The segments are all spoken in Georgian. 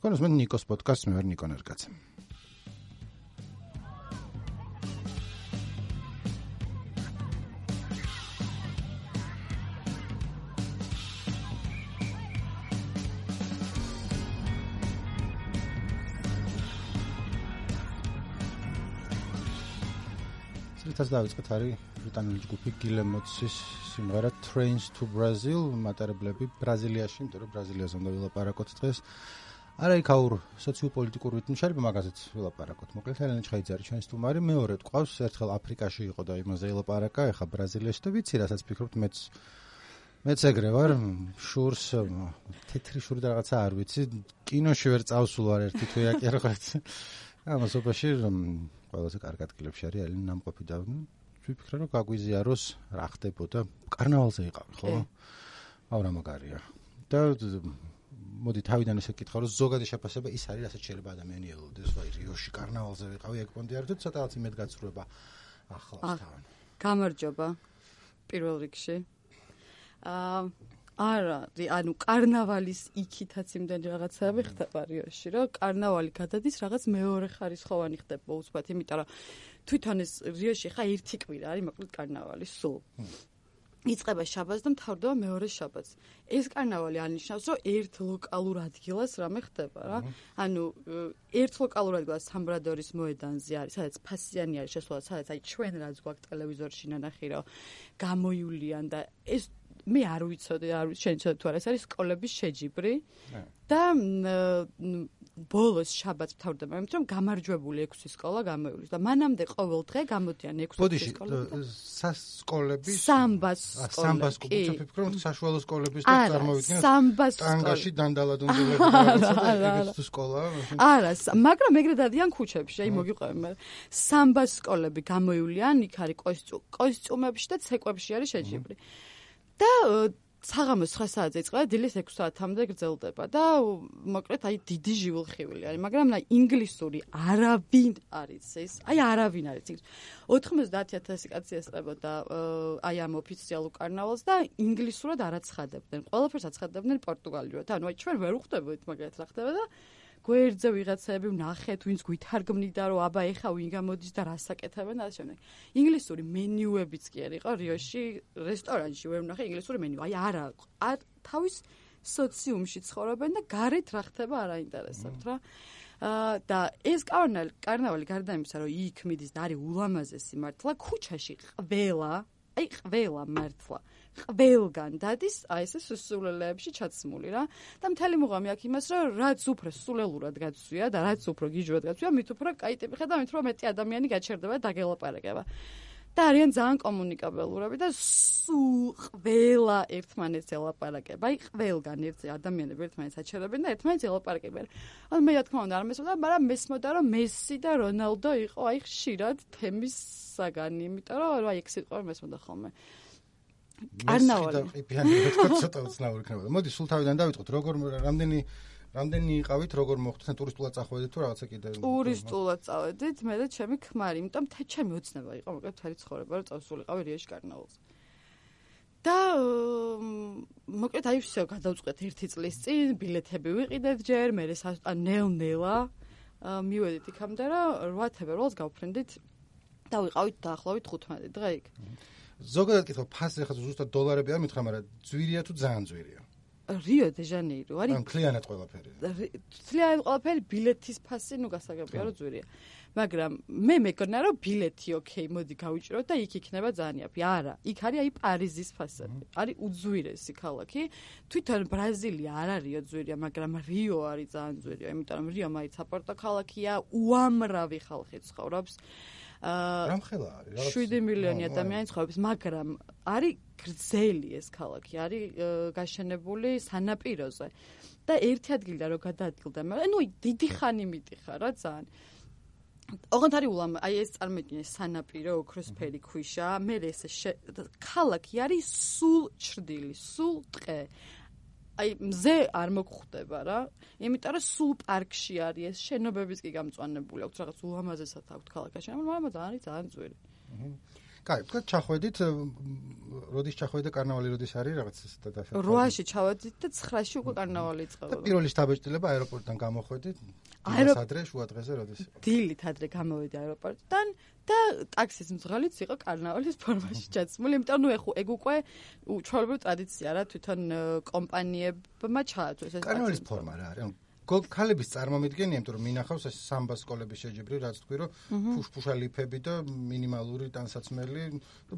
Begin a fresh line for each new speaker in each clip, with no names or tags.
თქვენ უსმენთ ნიკოს პოდკასტს, მე ვარ ნიკო ნერგაძე. ეს დავიწყეთ არის ბრიტანული ჯგუფი გილემოტსის სიმღერა Trains to Brazil, მატარებლები ბრაზილიაში, იმიტომ რომ ბრაზილიაზე უნდა ვილაპარაკოთ დღეს. არა იქაურ სოციოპოლიტიკურ ვითმშარება მაგაზეც ვილაპარაკოთ. მოკლედ ელენე ჩხაიძე არის ჩვენი სტუმარი, მეორედ ყავს, ერთხელ აფრიკაში იყო და იმაზე ილაპარაკა, ეხა ბრაზილიაში და ვიცი რასაც ფიქრობთ, მეც ეგრე ვარ, შურს თეთრი შური და რაღაცა არ ვიცი, კინოში ვერ წავსულ ვარ ერთი თუ იაკერღეთ. ამასობაში ყველაზე კარგ ადგილებში არის ელენე ნამყოფი და ვიფიქრე რომ გაგვიზიაროს რა ხდებოდა კარნავალზე იყავი ხო? ავრა მაგარია. და მოდი თავიდან ესე კითხავ რომ ზოგადი შეფასება ის არის რასაც შეიძლება ადამიანი ელოდეს ვაი რიოში კარნავალზე ვიყავი ეგ პონდიარდოთ ცოტა იმედ გაცრუება ახლავს თან.
გამარჯობა პირველ რიგში. არა, ანუ კარნავალის იქითაც იმდენი რაღაცები ხდება რიოში, რომ კარნავალი გადადის რაღაც მეორე ხარისხოვანი ხდება უცბად, იმიტომ რომ თვითონ ეს რიოში ხა ერთი კვირა არის მოკლედ კარნავალი სულ. იწყება შაბათს და მთავრდება მეორე შაბათს. ეს კარნავალი ანიშნავს, რომ ერთ ლოკალურ ადგილას რამე ხდება რა. ანუ ერთ ლოკალურ ადგილას სამბრადორის მოედანზე არის, სადაც ფასიანი არის შესვლა, სადაც აი ჩვენ რაც გვაქვს ტელევიზორში ნანახი, რომ გამოივლიან და ეს მე არ ვიცოდი, შენ ცოტა თუ არა, ეს არის სკოლების შეჯიბრი და ბოლოს შაბათს მთავრდება, იმიტომ რომ გამარჯვებული 6 სკოლა გამოივლის და მანამდე ყოველ დღე გამოდიან 6 სკოლა.
სკოლების
სამბას
სკოლები, ვფიქრობ, რომ საშუალო სკოლების და წარმოვიდგინოთ ტანგაში დანდალადუნდელები და სკოლა.
არა, მაგრამ ეგრე დადიან ქუჩებში, აი მოგიყვები მე. სამბას სკოლები გამოივლიან, იქ არის კოსტიუმებში და ცეკვებში არის შეჯიბრი. და საღამოს 9 საათზე იწყება, დილის 6 საათამდე გრძელდება და მოკლედ აი დიდი ჟიულხივილი არის, მაგრამ აი ინგლისური არავინ არ იცის, აი არავინ არ იცის. 90,000 კაცი ესწრებოდა აი ამ ოფიციალურ კარნავალს და ინგლისურად არ აცხადებდნენ. ყველაფერს აცხადებდნენ პორტუგალიურად. ანუ აი ჩვენ ვერ უხდებოდით მაგათ რა ხდება და გვერდზე ვიღაცები ვნახეთ, ვინც გვითარგმნიდა, რომ აბა ეხა ვინ გამოდის და რას აკეთებენ და ასე შემდეგ. ინგლისური მენიუებიც კი არ იყო რიოში, რესტორანში ვერ ვნახე ინგლისური მენიუ. აი არა, თავის სოციუმში ცხოვრობენ და გარეთ რა ხდება არ აინტერესებთ რა. და ეს კარნავალი გარდა იმისა, რომ იქ მიდის და არის ულამაზესი მართლა, ქუჩაში ყველა მართლა ყველგან დადის აი ესე სულელეებში ჩაცმული რა და მთელი მუღამი აქ იმას რომ რაც უფრო სულელურად გაცვია და რაც უფრო გიჟურად გაცვია მით უფრო კაი ტიპი ხარ და მით უფრო მეტი ადამიანი გაჩერდება და გელაპარაკება და არიან ძალიან კომუნიკაბელურები და სულ ყველა ერთმანეთს ელაპარაკება აი ყველგან ერთი ადამიანები ერთმანეთს აჩერებენ და ერთმანეთს ელაპარაკებენ ან მე რა თქმა უნდა არ მესმოდა მაგრამ მესმოდა რომ მესი და რონალდო იყო აი ხშირად თემის საგანი იმიტომ რომ აი ეგ სიტყვა მესმოდა ხოლმე კარნავალი.
ცოტა უცნაური იქნებოდა. მოდი სულ თავიდან დავიწყოთ. რამდენი იყავით, როგორ მოხდა ტურისტულად წახვედით თუ რაღაცა კიდე?
ტურისტულად წავედით, მე და ჩემი ქმარი, იმიტომ ჩემი ოცნება იყო, მოკლედ მთელი ცხოვრება რომ წავსულიყავი რიაში კარნავალზე. და მოკლედ აი всё გადავწყვეტ 1 წლის წინ, ბილეთები ვიყიდეთ ჯერ, მე ნელ-ნელა მივედით იქამდე რა 8 თებერვალს გავფრენდით და ვიყავით დაახლოებით 15 დღე იქ.
ზოგადად კითხავ, ფასი ახლა ზუსტად დოლარები არ მითხრა, მაგრამ ძვირია თუ ძალიან ძვირია?
რიო დე ჟანეირო არის.
ან კლიანად ყველაფერი.
კლიანად ყველაფერი, ბილეთის ფასი, ნუ გასაგებია რომ ძვირია. მაგრამ მე მეკონა რომ ბილეთი ოკეი, მოდი გავიჭროთ და იქ იქნება ძალიან იაფი. არა, იქ არის აი პარიზის ფასები. არის უძვირესი ქალაქი. თვითონ ბრაზილია არ არისო ძვირია, მაგრამ რიო არის ძალიან ძვირია, იმიტომ რომ რიო მაინც საპორტო ქალაქია, უამრავი ხალხი ცხოვრობს.
რამხელა არის?
7 მილიონი ადამიანი ცხოვრობს, მაგრამ არის გრძელი ეს ქალაქი, არის გაშენებული სანაპიროზე. და ერთი ადგილიდან რო გადაადგილდა, ანუ დიდი ხანი მიდიხარ რა ძალიან. ოღონდ არის აი ეს წარმოიდგინე სანაპირო ოქროსფერი ქვიშა, მე ეს ქალაქი არის სულ ჩრდილი, სულ ტყე. აი მზე არ მოგხვდება რა, იმიტომ რომ სულ პარკში არის ეს შენობებიც კი გამწვანებული აქვს, რაღაც ულამაზესად აქვს ქალაქი, მაგრამ ძალიან ძალიან ძვირი.
კაი, თქვა ჩახვედით, როდის ჩახვედით და კარნავალი როდის არის რაღაც ეს და
8-ში ჩავედით და 9-ში უკვე კარნავალი იწყება.
და პირველი შთაბეჭდილება აეროპორტიდან გამოხვედით. ადრე შუა დღეზე როდის იყო?
დილით ადრე გამოვედი აეროპორტიდან და ტაქსის მძღოლიც იყო კარნავალის ფორმაში ჩაცმული, იმიტომ რომ ეგ უკვე ჩვეულებრივი ტრადიცია რა, თვითონ კომპანიებმა ჩააწვეს ეს
კარნავალის ფორმა რა არის? ქალების წარმომიდგენია, იმიტომ რომ მინახავს ეს სამბა სკოლების შეჯიბრი, რაც თქვი რომ ფუშფუშა ლიფები და მინიმალური ტანსაცმელი და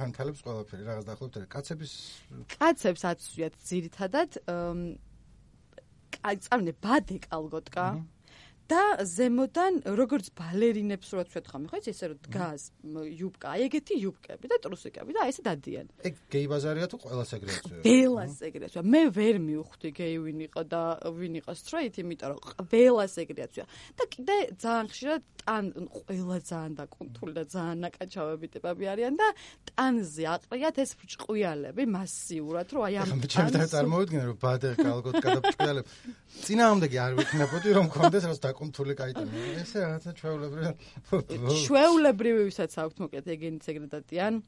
თანთალებს ყველაფერი რაღაც დაახლოებით.
კაცებს აცვიათ ძირითადად წამნე ბადე კალგოტკა და ზემოდან როგორც ბალერინებს რო ვთქვათ ხომ, ხო იცი ესე რომ დგას იუბკა, აი ეგეთი იუბკები და ტრუსიკები და აი ესე დადიან.
ეგ გეი ბაზარია თუ ყველას ეგრეცია?
ყველას ეგრეცია. მე ვერ მივხვდი გეი ვინ იყო და ვინ იყო straight, იმიტომ რომ ყველას ეგრეცია. და კიდე ძალიან ხშირად ყველა ძალიან დაკუნთული და ძალიან ნაკაჩავები ტიპები არიან და ტანზე აყრიათ ეს ბრჭყვიალები მასიურად, რომ აი ამ
ჩემთან წარმოვიდგინე რომ ბადე კალგოტკა და ბრჭყვიალები წინააღმდეგი არ ვიქნებოდი რომ მქონდეს რაც დაკუნთული კაიტანი. ესე რაღაცა
ჩვეულებრივი ვისაც აქვთ მოკლედ ეგენიც ეგრე დადიან.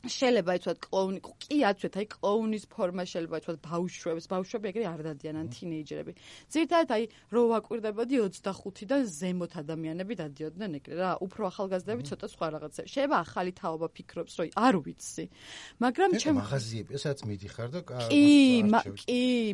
შეიძლება იცვათ კლოუნი, კი აცვეთ, აი კლოუნის ფორმა შეიძლება იცვათ ბავშვები ეგრე არ დადიან ან თინეიჯერები. ძირითადად აი რო ვაკვირდებოდი 25-დან ზემოთ ადამიანები დადიოდნენ ეგრე რა, უფრო ახალგაზრდები ცოტა სხვა რაღაცები. შეიძლება ახალი თაობა ფიქრობს, რომ არ ვიცი. მაგრამ
ჩემ მაღაზიები, ესაც მიდიხარ და
კი,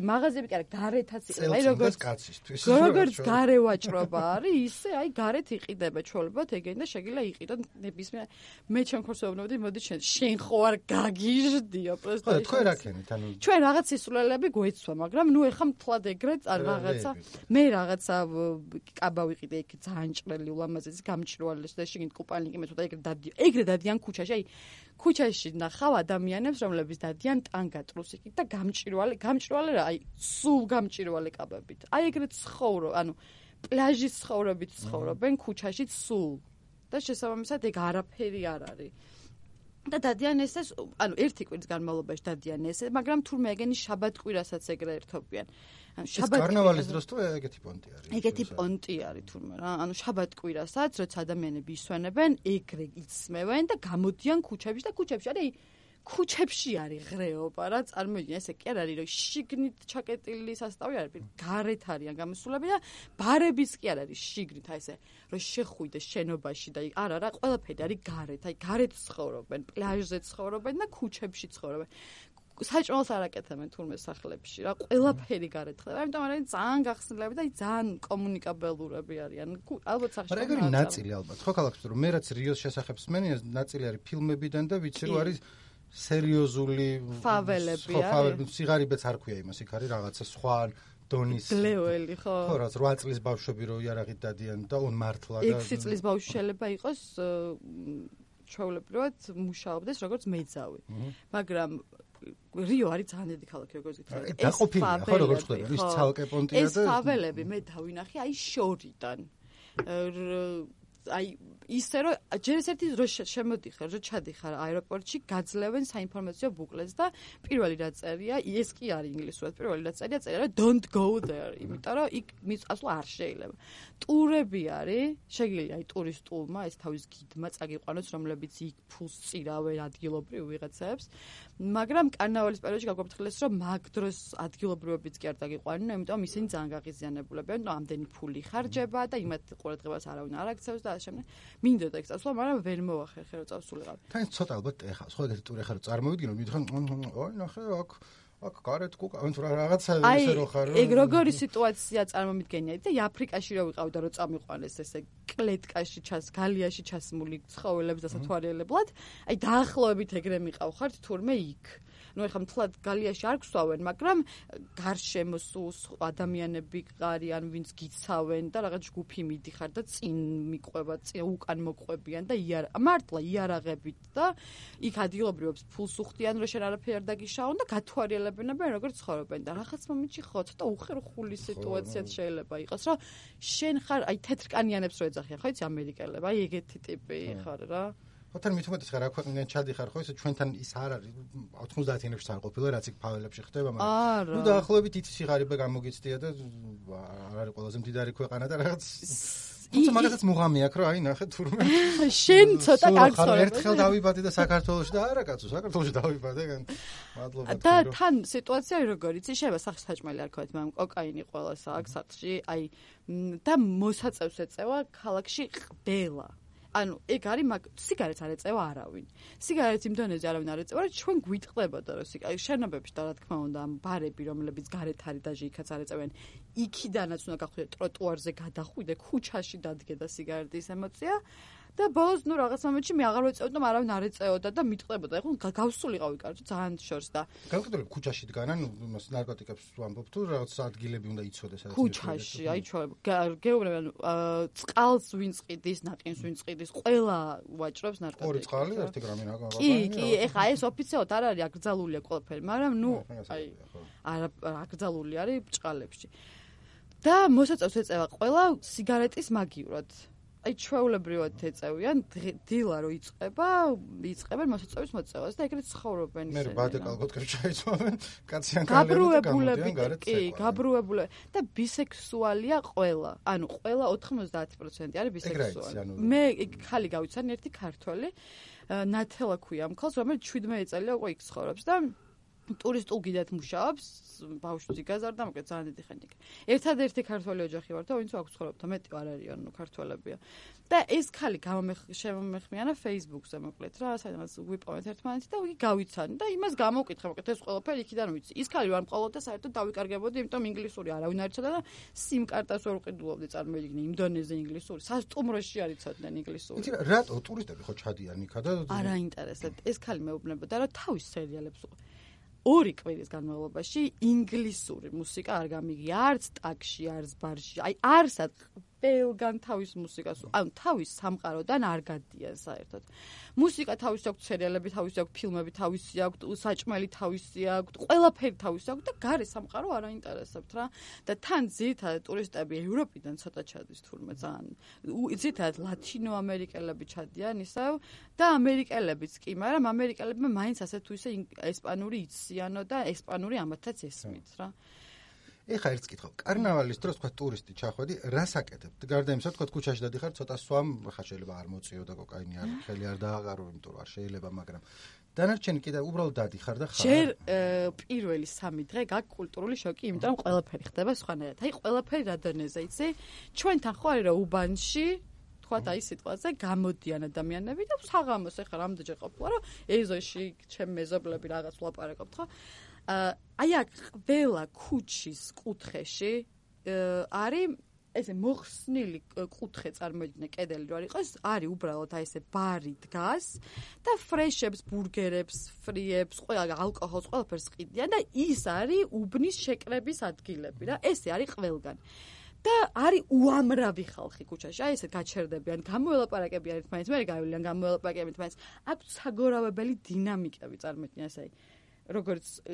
მაღაზიები კი არა, გარეთაც იყო. აი როგორც გარე ვაჭრობა არის, ისე აი გარეთ იყიდება ჩვეულებრივად ეგენი და შეგიძლია იყიდოთ ნებისმიერ მე ჩემ ხორცოვნობდი მოდი შენ ხო არ გაგიჟდიო პროსტა.
ხო, თქვენ რა ქენით? ანუ
ჩვენ რაღაც ისულელები გვეცვა, მაგრამ ნუ ეხა მთლად ეგრეთ არ რაღაცა. მე რაღაცა კაბა ვიყიდე იქ ძალიან ჭრელი ულამაზესი გამჭრვალეს და შეგინდ კუპალნიკი მე თვითონ ეგრე დადიან ქუჩაში. აი ქუჩაში ნახავ ადამიანებს, რომლებიც დადიან ტანგა ტრუსიკით და გამჭრვალე რა, აი სულ გამჭრვალე კაბებით. აი ეგრეთ ცხოვრობ, ანუ პლაჟის ცხოვრობით ცხოვრობენ ქუჩაში სულ. და შესაბამისად ეგ არაფერი არ არის. და დადიან ესეს, ანუ ერთი კვირის განმავლობაში დადიან ესე, მაგრამ თურმე ეგენი შაბათ-კვირასაც ეგრე ერთობიან.
ანუ კარნავალის დროს თუ ეგეთი პონტი არის.
ეგეთი პონტი არის თურმე რა. ანუ შაბათ-კვირასაც, როცა ადამიანები ისვენებენ, ეგრე იცმევენ და გამოდიან ქუჩებში და ქუჩებში არის ქუჩებში არის ღრეობა რა, წარმოიდგინე, ესე კი არ არის, რომ შიგნით ჩაკეტილი სასტავი არის, გარეთ არიან გამოსულები და ბარებიც კი არ არის შიგნით, აი ესე, რომ შეხვიდე შენობაში და არა რა, ყველაფერი არის გარეთ, აი გარეთ ცხოვრობენ, პლაჟზე ცხოვრობენ და ქუჩებში ცხოვრობენ. საჭმელს არ აკეთებენ თურმე სახლებში რა, ყველაფერი გარეთ ხდება, ამიტომ არის ძალიან გახსნილები და ძალიან კომუნიკაბელურები არიან. ალბათ სახში.
მაგრამ ეგ არის ნაწილი ალბათ, ხო ქალაქში, რომ მე რაც რიოს შესახებ მსმენია, ნაწილი არის ფილმებიდან და ვიცი რომ არის სერიოზული
ფაველები
არის. სიგარიბეც არ ქვია იმას, იქ არის რაღაცა სხვა დონის
გლეველი, ხო?
ხო, რაც 8 წლის ბავშვები რო იარაღით დადიან და მართლა და
6 წლის ბავშვი შეიძლება იყოს ჩვეულებრივად მუშაობდეს როგორც მეძავი. მაგრამ რიო არის ძალიან დიდი ქალაქი, როგორც გითხრათ.
დაყოფილია, ხო, როგორც ხდება, ის ცალკე პონტია და
ეს ფაველები მე დავინახე აი შორიდან. აი ისე რომ ჯერ ერთი რო შემოდიხარ, რო ჩადიხარ აეროპორტში, გაძლევენ საინფორმაციო ბუკლეტს და პირველი რა წერია, ეს კი არის ინგლისურად, პირველი რა წერია რომ don't go there, იმიტომ რომ იქ მიწასვლა არ შეიძლება. ტურები არის, შეგიძლია აი ტურისტულმა ეს თავის გიდმა წაგიყვანოს, რომლებიც იქ ფულს წირავენ ადგილობრივ ვიღაცებს, მაგრამ კარნავალის პერიოდში გაგვაფრთხილეს, რომ მაგ დროს ადგილობრივებიც კი არ წაგიყვანენ, იმიტომ ისინი ძალიან გაღიზიანებულებიან, რომ ამდენი ფული ხარჯება და იმათ ყურადღებას არავინ არ აქცევს და ასე შემდეგ. მინდოდა ეგ წასვლა, მაგრამ ვერ მოახერხე რომ წავსულიყავ.
თან ცოტა ალბათ ეხავს, ხო ეგეთი ტური ხარ რომ წარმოვიდგინო, მითხან, აი ნახე აქ გარეთ კუკა, ანუ რაღაცა ისე რო ხარ.
ეგ როგორი სიტუაცია წარმომიდგენია და აფრიკაში რო ვიყავდა რომ წამიყვანეს ესე კლეტკაში გალიაში ჩასმული ცხოველებს და სათვალიერებლად, აი დაახლოებით ეგრე მიყავხართ თურმე იქ. ნუ ეხლა მთლად გალიაში არ გსვავენ, მაგრამ გარშემო ადამიანები არიან, ვინც გიცავენ და რაღაც ჯგუფი მიდიხარ და წინ მიყვება, უკან მოყვებიან და მართლა იარაღებით და იქ ადგილობრივებს ფულს უხდიან, რომ შენ არაფერი არ დაგიშაონ და გათვალიერებენ როგორ ცხოვრობენ და რაღაც მომენტში ხო ცოტა უხერხული სიტუაციაც შეიძლება იყოს, რომ შენ ხარ აი თეთრკანიანებს რო ეძახიან, ხო იცი ამერიკელები, აი ეგეთი ტიპი ხარ რა.
ხოთან მithumetes ხარ, რა ქვეყნიდან ჩადიხარ, ხო, ისე ჩვენთან ის არ არის 90-იანებში არ ყოფილა, რაც იქ ფაველებში ხდება, მაგრამ ნუ დაახლოებით ითი სიღარიბე გამოგიცდია და არ არის ყველაზე მდიდარი ქვეყანა და რაღაც თუმცა მაგასაც მუღამი აქვს, რომ აი ნახე თურმე
შენ ცოტა გაგცხოვე.
ერთხელ დავიბადე და საქართველოში და არა კაცო, საქართველოში დავიბადე, მადლობა.
და თან სიტუაცია როგორ იცი, შეიძლება სახში საჭმელი არ ქოთ, მაგრამ კოკაინი ყველას აქვს სახლში, აი და მოსაწევს ეწევა ქალაქში ყბელა. ანუ ეგ არის სიგარეტს არ ეწევა არავინ. სიგარეტს იმ დონეზე არავინ არ ეწევა, რომ ჩვენ გვიტყდებოდა, რომ შენობებში და რა თქმა უნდა ამ ბარები, რომლებიც გარეთ არის და იქაც არ ეწევიან, იქიდანაც უნდა გახვიდე ტროტუარზე გადახვიდე, ქუჩაში დადგე და სიგარეტის ემოცია. და ბოლოს ნუ რაღაც მომენტში მე აღარ ვეწევდი, არავინ არ ეწეოდა და მიტყდებოდა. ეხლა გავსულიყავი კარგი ძალიან შორს და
განკუთვნილ ქუჩაში დგანან, იმას ნარკოტიკებს ვამბობ თუ რაღაც ადგილები უნდა იცოდეს სადაც
ქუჩაში, აი გეუბნებიან წყალს ვინ წყიდის, ნაყინს ვინ წყიდის, ყველა ვაჭრობს ნარკოტიკებს. ორი
წყალი 1 გრამი რა.
კი, ეხლა ეს ოფიციალურად არ არის აკრძალულია ყველაფერი, მაგრამ ნუ აი არა აკრძალული არის ბჭყალებში. და მოსაწევს ეწევა ყველა სიგარეტის მაგივრად. აი ჩვეულებრივად ეწევიან დილა რო იწყებენ მოსაწევის მოწევას და ეგრეთ ცხოვრობენ ისინი.
მე ბადე კალგოტკებს ჩაიცვამენ, კაციან კალები და გამოდიან გარეთ.
კი, გაბრუებულები და ბისექსუალია ყველა. ანუ ყველა 90% არის ბისექსუალი. მე ხალი გავიცანი ერთი ქართველი, ნათელა ქვია ამ ქალს, რომელიც 17 წელია უკვე იქ ცხოვრობს და ტურისტულ გიდად მუშაობს, ბავშვი გაზარდა, მაგრამ ძალიან დიდი ხანი. ერთადერთი ქართველი ოჯახი ვარ და ვინც აქვს ცხოვრობდა, მეტი არ არის, ანუ ქართველებია. და ეს ხალი შემომეხმიანა Facebook-ზე მოკლედ რა, სადაც ვიპოვეთ ერთმანეთი და იგი გავიცანი და იმას გამოვკითხე, მოკლედ ეს ყველაფერი იქიდან ვიცი. ის ხალი ვარ მყოლოდ და საერთოდ დავიკარგებოდი, იმიტომ ინგლისური არავინ არ იცოდა და SIM-კარტას ვერ უყიდულობდი, წარმოიდგინე იმ დონეზე ინგლისური. სასტუმროში არ იცოდნენ ინგლისური.
იცი რა, რატო ტურისტები ხო ჩადიან იქა და
არ აინტერესებთ. ეს ხალი მეუბნებოდა, რომ თავის სერიალებს 2 კვირის განმავლობაში ინგლისური მუსიკა არ გამიგია, არც ტაქსში, არც ბარში. აი არსად ყველგან თავის მუსიკას, ანუ თავის სამყაროდან არ გადიან საერთოდ. მუსიკა თავისი აქვს, სერიალები თავისი აქვს, ფილმები თავისი აქვს, საჭმელი თავისი აქვს, ყველაფერი თავისი აქვს და გარე სამყარო არ აინტერესებთ რა. და თან ძირითადად ტურისტები ევროპიდან ცოტა ჩადის თურმე ძალიან. ძირითადად ლათინო ამერიკელები ჩადიან ისევ და ამერიკელებიც კი, მაგრამ ამერიკელებმა მაინც ასე თუ ისე ესპანური იციანო და ესპანური ამათაც ესმით რა.
ეხა ერთს კითხავ, კარნავალის დროს თქვა ტურისტი ჩახვედი, რას აკეთებთ? გარდა იმისა, თქვა ქუჩაში დადიხარ, ცოტა სვამ, ხა შეიძლება არ მოწიო და კოკაინი არ ხელი არ დააღარო, იმიტომ რომ არ შეიძლება, მაგრამ დანარჩენი კიდე უბრალოდ დადიხარ და ხარ.
ჯერ პირველი 3 დღე გაქვს კულტურული შოკი, იმიტომ რომ ყველაფერი ხდება სხვანაირად. აი ყველაფერი რა დონეზე იცი? ჩვენთან ხო არის რა უბანში თქვათ აი სიტყვაზე გამოდიან ადამიანები და საღამოს ეხლა რამდენჯერ ყოფილა რომ ეზოში ჩემ მეზობლები რაღაც ვლაპარაკობთ ხო? აი აქ ყველა ქუჩის კუთხეში არის ესე მოხსნილი კუთხე წარმოიდგინე კედელი რო არ იყოს, არის უბრალოდ აი ესე ბარი დგას და ფრეშებს, ბურგერებს, ფრიებს, ყველა ალკოჰოლს, ყველაფერს ყიდიან და ის არის უბნის შეკრების ადგილები რა, ესე არის ყველგან. და არის უამრავი ხალხი ქუჩაში. აი ესე გაჩერდებიან, გამოელაპარაკებიან ერთმანეთს, მე გავივლიან გამოელაპარაკებიან ერთმანეთს. აქვს საგორავებელი დინამიკები წარმოიდგინე ესე როგორც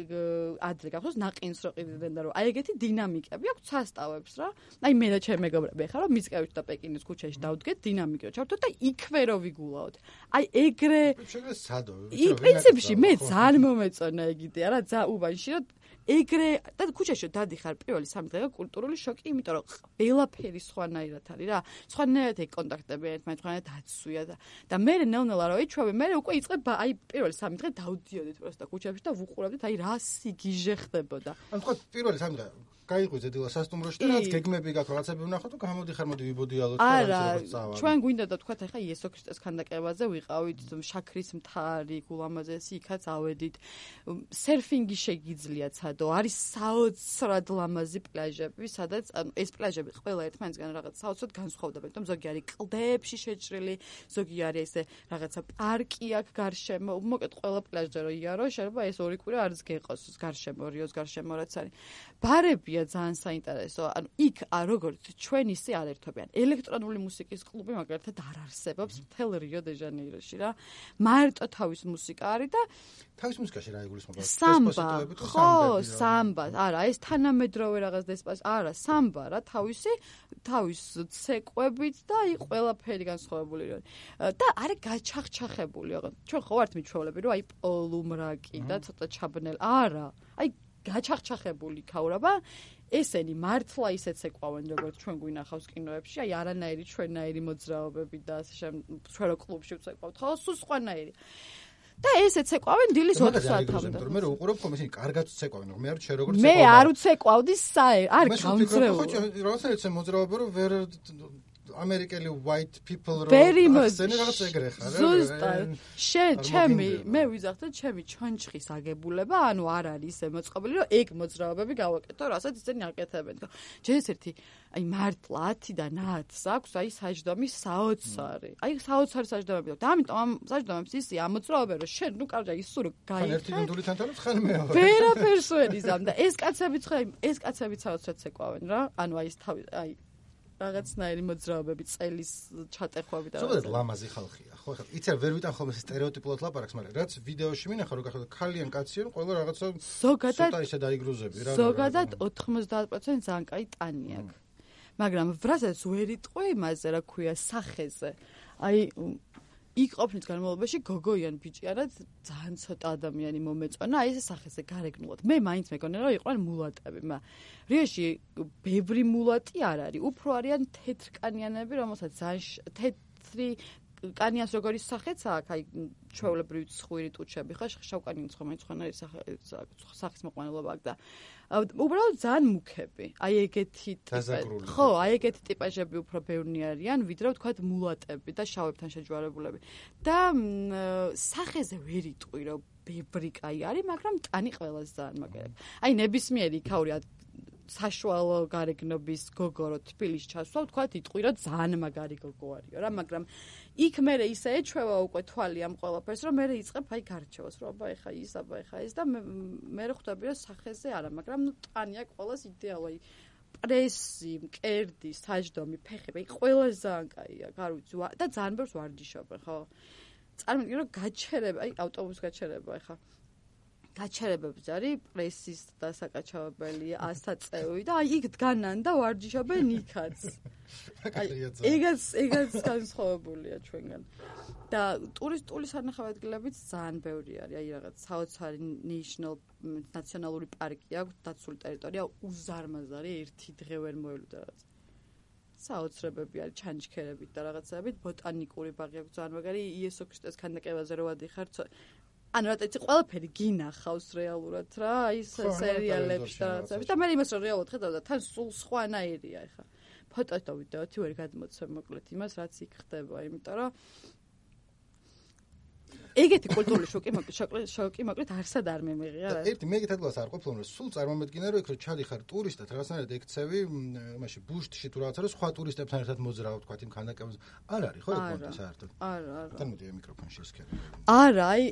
ადრე გახსოვს ნაყინს რო ყიდდნენ და რომ აი ეგეთი დინამიკები აქვს სასტავებს რა. აი მე და ჩემი მეგობრები ხარ რომ მიწკევით და პეკინის ქუჩაში დავდგეთ დინამიკო ჩავთოთ და იქვე რო ვიგულაოთ. აი ეგრე
შეგეს სადო.
პრინციპში მე ძალიან მომეწონა ეგ იდეა რა ძა უბანში რომ ეგრე და ქუჩაში დადიხარ პირველი 3 დღე კულტურული შოკი, იმიტომ რომ ყველაფერი სხვანაირად არის რა. სხვანაირად კონტაქტები ერთმანეთს, სხვანაირად აცვია და მე ნელ-ნელა რო იჩვევი, მე უკვე იწყებ აი პირველი 3 დღე დავდიოდით პროსტა ქუჩებში და ვუყურავდით აი რა სიგიჟე ხდებოდა.
ანუ თქვა პირველი 3 დღე გაიყვიძე დილა სასტუმროში და რაღაც გეგმები გაქვს, რაღაცები ვნახოთ და გამოდიხარ, მოდი ვიბოდიალოთ და
რაღაც წავალ. ჩვენ გვინდა და თქვა ეხა იესო ქრისტეს ქანდაკებაზე ვიყავით, შაქრის მთარი, გულამაზესი, იქაც ავედით. სერფინგი შეგიძლიათ სადო, არის საოცრად ლამაზი პლაჟები, სადაც ეს პლაჟები ყველა ერთმანეთსგან რაღაც საოცრად განსხვავდება, თუმცა ზოგი არის კლდეებში შეჭრილი, ზოგი არის ესე რაღაცა პარკი აქვს გარშემო, მოკეთ ყველა პლაჟზე რო იარო, შეიძლება ეს 2 კვირა არც გეყოს გარშემო, რიოს გარშემო რაც არის. ბარებია ძალიან საინტერესო. ანუ იქ როგორც ჩვენ ისე არ ერთობიან. ელექტრონული მუსიკის კლუბი მაგალითად არ არსებობს მთელ რიო დე ჟანეიროში რა. მარტო თავის მუსიკა არის და
თავის მუსიკაში რა იგულისხმება?
სამბა. ხო, სამბა. არა, ეს თანამედროვე რაღაც დესპას. არა, სამბა რა, თავის ცეკვებით და აი ყველაფერი განსხვავებული რა. და არის გაჩახჩახებული. ჩვენ ხო ვართ მიჩვეულები, რომ აი პოლუმრაკი და ცოტა ჩაბნელ. არა. აი გაჩახჩახებული იქაურობა, ესენი მართლა ისეც ეკვავენ როგორც ჩვენ გვინახავს კინოებში, აი არანაირი ჩვენნაირი მოძრაობები და ასე ჩვენ რო კლუბში ვცეკვავთ, ხო, სულ სხვანაირი. და ესეც ეკვავენ დილის 4 საათამდე.
მე რო უყურებ ხომ ისინი კარგად ცეკვავენ, მე არ შე როგორც
მე არ უცეკვავდი არ გამძრეულ.
ხო, რაღაცა ეცე მოძრაობა რომ ვერ ამერიკელი white people
very much
რაღაც ეგრე ხარ.
ზუსტად. მე ვიზახდე ჩემი ჩონჩხის აგებულება, ანუ არ არის ისე მოწყობილი, რომ ეგ მოძრაობები გავაკეთო, რასაც ისინი აკეთებენ. ჯერ ერთი აი მართლა 10-დან 10-ს აქვს აი საჯდომის საოცარი. აი საოცარი საჯდომები აქვს. და ამიტომ ამ საჯდომებს ისი ამოძრაობენ, რომ შენ ნუ კარგია ისო რომ გაიხარ.
ერთი ნუნდულიდან თავს ხან მეორე.
ვერაფერს ვერ იზამ და ეს კაცებიც საოცრად ცეკვავენ რა. ანუ აი ეს თავი აი რაღაცნაირი მოძრაობები წელის ჩატეხვები და
ზოგადად ლამაზი ხალხია ხო ხა იცი ვერ ვიტან ხოლმე სტერეოტიპულად ლაპარაკს მაგრამ რაც ვიდეოში მინახა რომ გახდა ქალიან კაციან ყველა რაღაცა
ზოგადად
ისე დაიგრუზები რა
ზოგადად 90% ძალიან კაი ტანი აქვს მაგრამ ბრაზებს ვერ იტყვი იმაზე რა ქვია სახეზე აი იქ ყოფნის განმავლობაში გოგოიან ბიჭი არა ძალიან ცოტა ადამიანი მომეწონა აი ეს სახეზე გარეგნულად მე მაინც მეკონა რომ იყვნენ მულატები რიაში ბევრი მულატი არ არის უფრო არიან თეთრკანიანები რომელსაც ძალიან თეთრი კანიანს როგორი სახეც აქვს აი ჩვეულებრივი ცხვირი ტუჩები ხო შავკანიანს ხომ მაინც სახის მოყვანილობა აქვს და უბრალოდ ძალიან მუქები აი ეგეთი ტიპები ხო აი ეგეთი ტიპაჟები უფრო ბევრნი არიან ვიდრე ვთქვათ მულატები და შავებთან შეჯვარებულები და სახეზე ვერ იტყვი რომ ბევრი კაი არის მაგრამ ტანი ყველას ძალიან მაგერია აი ნებისმიერი იქაური საშუალო გარეგნობის გოგო რო თბილისში ჩასვლა ვთქვათ იტყვი რომ ძალიან მაგარი გოგო არისო რა მაგრამ იქ მე ისე ეჩვევა უკვე თვალი ამ ყველაფერს რომ მე იწყებ აი გარჩევას რომ აბა ეხა ის და მე ხვდები რომ სახეზე არა მაგრამ ნუ ტანია ყველას იდეალო აი პრესი, მკერდი, საჯდომი, ფეხები აი ყველა ძალიან კაია არ ვიცი და ძალიან ბევრს ვარჯიშობენ ხო წარმოვიდგინე რომ გაჩერება აი ავტობუს გაჩერება ეხა გაჩერებებს არის პრესის დასაკაჩავებელი 100 წევრი და აი იქ დგანან და ვარჯიშობენ იქაც. ეგაც განსხვავებულია ჩვენგან. და ტურისტული სანახავადგილებიც ძალიან ბევრი არის. აი რაღაც საოცარი ნაციონალური პარკი აქვს, დაცული ტერიტორია უზარმაზარი, ერთი დღე ვერ მოელოდა რაღაც. საოცრებები არის ჩანჩქერებით და რაღაცებით, ბოტანიკური ბაღი აქვს ძალიან მაგარი, იესო ქრისტეს ქანდაკებაზე რო ვადიხარ ანუ რა თქმა უნდა ყველაფერი გინახავს რეალურად რა ის სერიალებში და რაღაცები და მე იმას რომ რეალურად ხედავ და თან სულ სხვანაირია ეხა ფოტოს და ვიდეოთი ვერ გადმოცემ მოკლედ იმას რაც იქ ხდება იმიტომ რომ ეგეთი კულტურული შოკი მოკლედ არსად არ მემიღია რა
ერთი მე ეგეთ ადგილას არ ყოფილ რომ სულ წარმომედგინე რომ იქ რო ჩადიხარ ტურისტად რაღაცნაირად ექცევი იმაში ბუშტში თუ რაღაცა რომ სხვა ტურისტებთან ერთად მოძრაობ თქვა იმ ქანდაკებაზე არ არის ხო ეგ კონტე საერთოდ
არა
თან მოდი მიკროფონში ესქერე
არა აი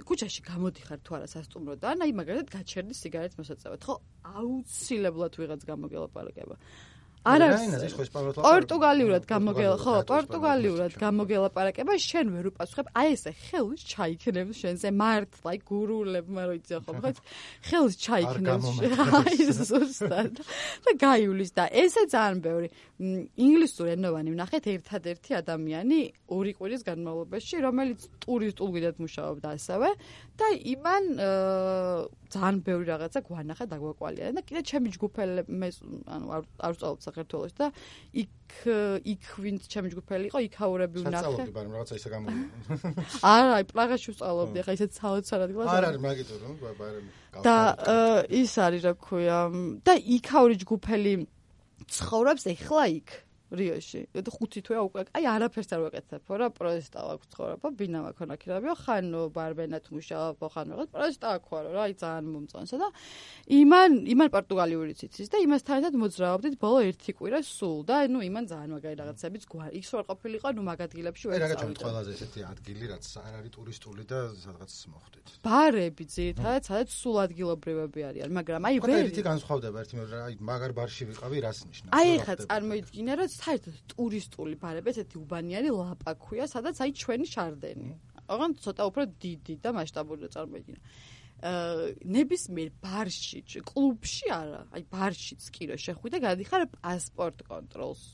ქუჩაში გამოდიხარ თუ არა სასტუმროდან აი მაგალითად გაჩერდი სიგარეტს მოსაწევად ხო აუცილებლად ვიღაც გამოგელაპარაკება არ არის პორტუგალიურად გამოგელაპარაკება შენ ვერ უპასუხებ აი ესე ხელს ჩაიქნებს შენზე მართლა აი გურულებმა რო იცი ხო ხო ხელს ჩაიქნებს აი ზუსტად და გაივლის და ესე ძალიან ბევრი ინგლისური ენოვანი ვნახეთ ერთადერთი ადამიანი 2 კვირის განმავლობაში რომელიც ტურისტულ გიდად მუშაობდა ასევე და იმან ძალიან ბევრი რაღაცა გვანახა და გვაკვალია და კიდე ჩემი ჯგუფელი ანუ არ ვწავლობ საქართველოში და იქ ვინც ჩემი ჯგუფელი იყო იქაურები ვნახე.
საწავლობდი, მაგრამ რაღაცა ისე გამოვიდა.
არა, აი პრაღაში ვწავლობდი, ახლა ისეთ საოცარ ადგილას.
არ არის მაგითო რომ ბარემ.
და ის არის რა ქვია და იქაური ჯგუფელი ცხოვრობს ეხლა იქ რიოში. 5 თვეა უკვე აი არაფერს არ ვაკეთებ რა პროესტა აქვს ცხოვრება ბინა მაქონა ქირაბიო ხან ბარბენად მუშაობ ხან რაღაც პროესტა აქვს რა აი ძალიან მომწონსა და იმან პორტუგალიური ციცის და იმასთან ერთად მოძრაობდით ბოლო 1 კვირა სულ და ნუ იმან ძალიან მაგარი რაღაცებიც იქ სულ ყოფილიყო ნუ მაგ ადგილებში ვერ
წავიდა რა ყველაზე ესეთი ადგილი რაც არ არის ტურისტული და სადღაც მოხვდით
ბარები ძირითადად სადაც სულ ადგილობრივები არიან მაგრამ აი
ვერ ერთი განსხვავდება ერთი მე აი მაგარ ბარში ვიყავი რას ნიშნავს
აი ხა წარმოიდგინე რომ საერთოდ ტურისტული ბარები ესეთი უბანიანი ლაპა ქვია, სადაც აი ჩვენი შარდენი. ოღონდ ცოტა უფრო დიდი და მასშტაბური წარმოიდგინე. ნებისმიერ ბარში, კლუბში არა, აი ბარშიც კი რო შეხვიდე, გადიხარ პასპორტ კონტროლს.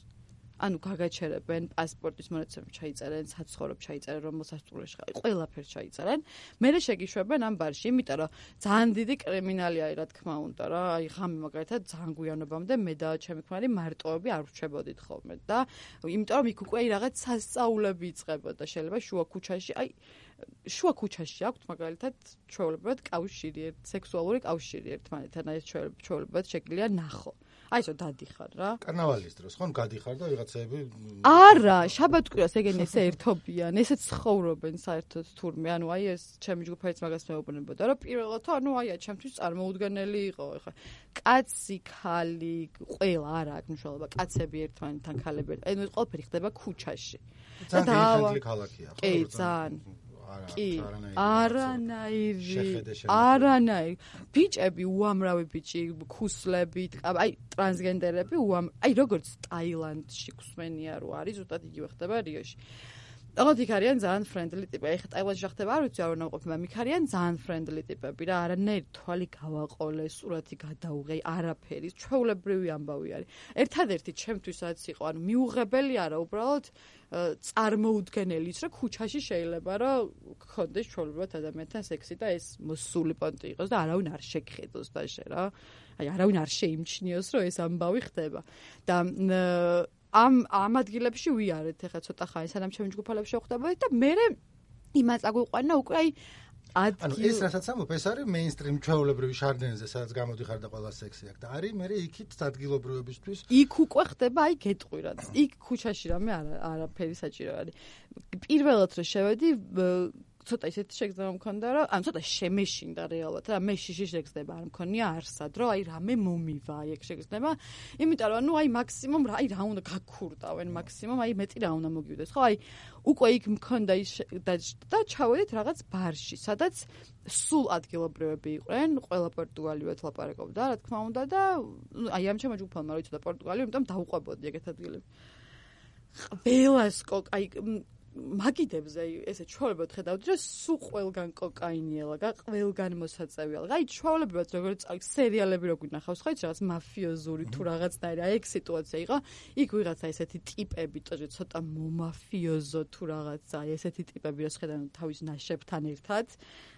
ანუ გაგაჩერებენ პასპორტის მონაცემები ჩაიწერენ, საცხოვრებ ჩაიწერენ, რომელ სასტუმროში ხარ, ყველაფერს ჩაიწერენ. მერე შეგიშვებენ ამ ბარში, იმიტომ რომ ძალიან დიდი კრიმინალი არის, რა თქმა უნდა რა. აი ღამე მაგალითად ძალიან გვიანობამდე მე და ჩემი ქმარი მარტოები არ ვრჩებოდით ხოლმე და იმიტომ რომ იქ უკვე რაღაც სასწაულები იწყებოდა. შეიძლება შუა ქუჩაში, აი შუა ქუჩაში აქვთ მაგალითად ჩვეულებრივად კავშირი, სექსუალური კავშირი ერთმანეთთან, აი ეს ჩვეულებრივად შეგვიძლია ნახო. აი ესო დადიხარ რა.
კარნავალის დროს ხო გადიხარ და ვიღაცები
არა, შაბათ-კვირას ეგენი ესე ერთობიან, ესე ცხოვრობენ საერთოდ თურმე. ანუ აი ეს ჩემი ჯგუფიც მაგას მეუბნებოდა, რომ პირველად ანუ აი ჩემთვის წარმოუდგენელი იყო. ეხლა კაცი, ხალი, ყველა არა აქვს მნიშვნელობა. კაცები ერთმანეთთან, ქალები. ანუ ეს ყველაფერი ხდება ქუჩაში.
და დაავადებული ქალაქია ხო?
კი, ძალიან. კი, არანაირი. ბიჭები, უამრავი ბიჭი, ქუსლებით, აი ტრანსგენდერები, აი როგორც ტაილანდში გვსმენია რო არის, ზუსტად იგივე ხდება რიოში. ოღონდ იქ არიან ძალიან ფრენდლი ტიპები. ეხლა ტაილანდში ხდება, არ ვიცი, არ უნდა ყოფილა, იქ არიან ძალიან ფრენდლი ტიპები რა, არანაირი თვალი გავაყოლე, სურათი გადაუღე, არაფერი, ჩვეულებრივი ამბავი არის. ერთადერთი ჩემთვისაც იყო, ანუ მიუღებელი არა, უბრალოდ წარმოუდგენელი ის, რომ ქუჩაში შეიძლება რომ გქონდეს ჩვეულებრივად ადამიანთან სექსი და ეს მოსული პონტი იყოს და არავინ არ შეგხედოს დაშე რა. აი არავინ არ შეიმჩნიოს, რომ ეს ამბავი ხდება. და ამ ადგილებში ვიარეთ ეხლა ცოტა ხანი სანამ ჩემი ჯგუფალებში ვხვდებოდი და მე იმას აგვიყვანა უკვე აი
ანუ ეს რასაც ამბობ ეს არის მეინსტრიმ ჩვეულებრივი შარდენზე სადაც გამოდიხარ და ყველა სექსი აქვს და არის მე იქით ადგილობრივებისთვის
იქ უკვე ხდება აი გეტყვირად იქ ქუჩაში რამე არაფერი საჭირო არის პირველად რომ შევედი ცოტა ისეთი შეგრძნება მქონდა რომ ან ცოტა შემეშინდა რეალურად რა მე შიში შეგრძნება არ მქონია არსად რომ აი რამე მომივა აი ეგ შეგრძნება იმიტომ რომ ნუ აი მაქსიმუმ აი რა უნდა გაქურდავენ მაქსიმუმ აი მეტი რა უნდა მოგივიდეს ხო აი უკვე იქ მქონდა ის და ჩავედით რაღაც ბარში სადაც სულ ადგილობრივები იყვნენ ყველა პორტუგალიურად ლაპარაკობდა რა თქმა უნდა და აი ამ ჩემო ჯგუფალმა რო იცოდა პორტუგალიურ იმიტომ დავუყვებოდი ეგეთ ადგილებში ყველას აი მაგიდებზე ესე ჩვეულებრივად ხედავთ რომ სულ ყველგან კოკაინიელა, ყველგან მოსაწევიალა. აი ჩვეულებრივად როგორც სერიალები რო გვინახავს, ხო იცი რაღაც მაფიოზური თუ რაღაცნაირი აი ეგ სიტუაცია იყო. იქ ვიღაცა ესეთი ტიპები, ცოტა მომაფიოზო თუ რაღაცა, აი ესეთი ტიპები რო შეხედავენ თავის ნაშებთან ერთად,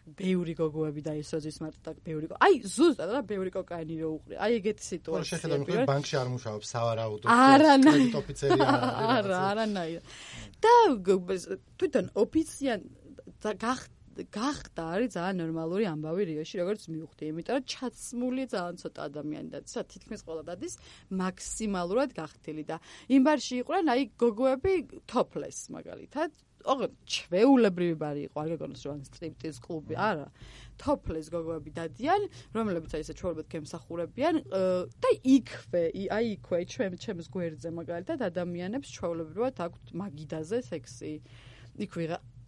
ბევრი გოგოები და ისოზის მარტო და ბევრი აი ზუსტად რა ბევრი კოკაინი რო უყრი. აი ეგეთი სიტუაცია.
შეხედავენ რომ ბანკში არ მუშაობს, სავარაუდოდ
კრედიტ
ოფიცერი
არა, არანაირად. და თვითონ ოფიციან გახდა არის ძალიან ნორმალური ამბავი რიოში როგორც მივხვდი იმიტომ რომ ჩაცმული ძალიან ცოტა ადამიანი და თითქმის ყველა დადის მაქსიმალურად გახდილი და იმ ბარში იყვნენ აი გოგოები topless მაგალითად ოღონდ ჩვეულებრივი ბარი იყო არ გეკონოს რომ სტრიპტიზ კლუბი არა topless გოგოები დადიან რომლებიც აი ესე ჩვეულებრივად გემსახურებიან და იქვე ჩემს გვერდზე მაგალითად ადამიანებს ჩვეულებრივად აქვთ მაგიდაზე სექსი იქ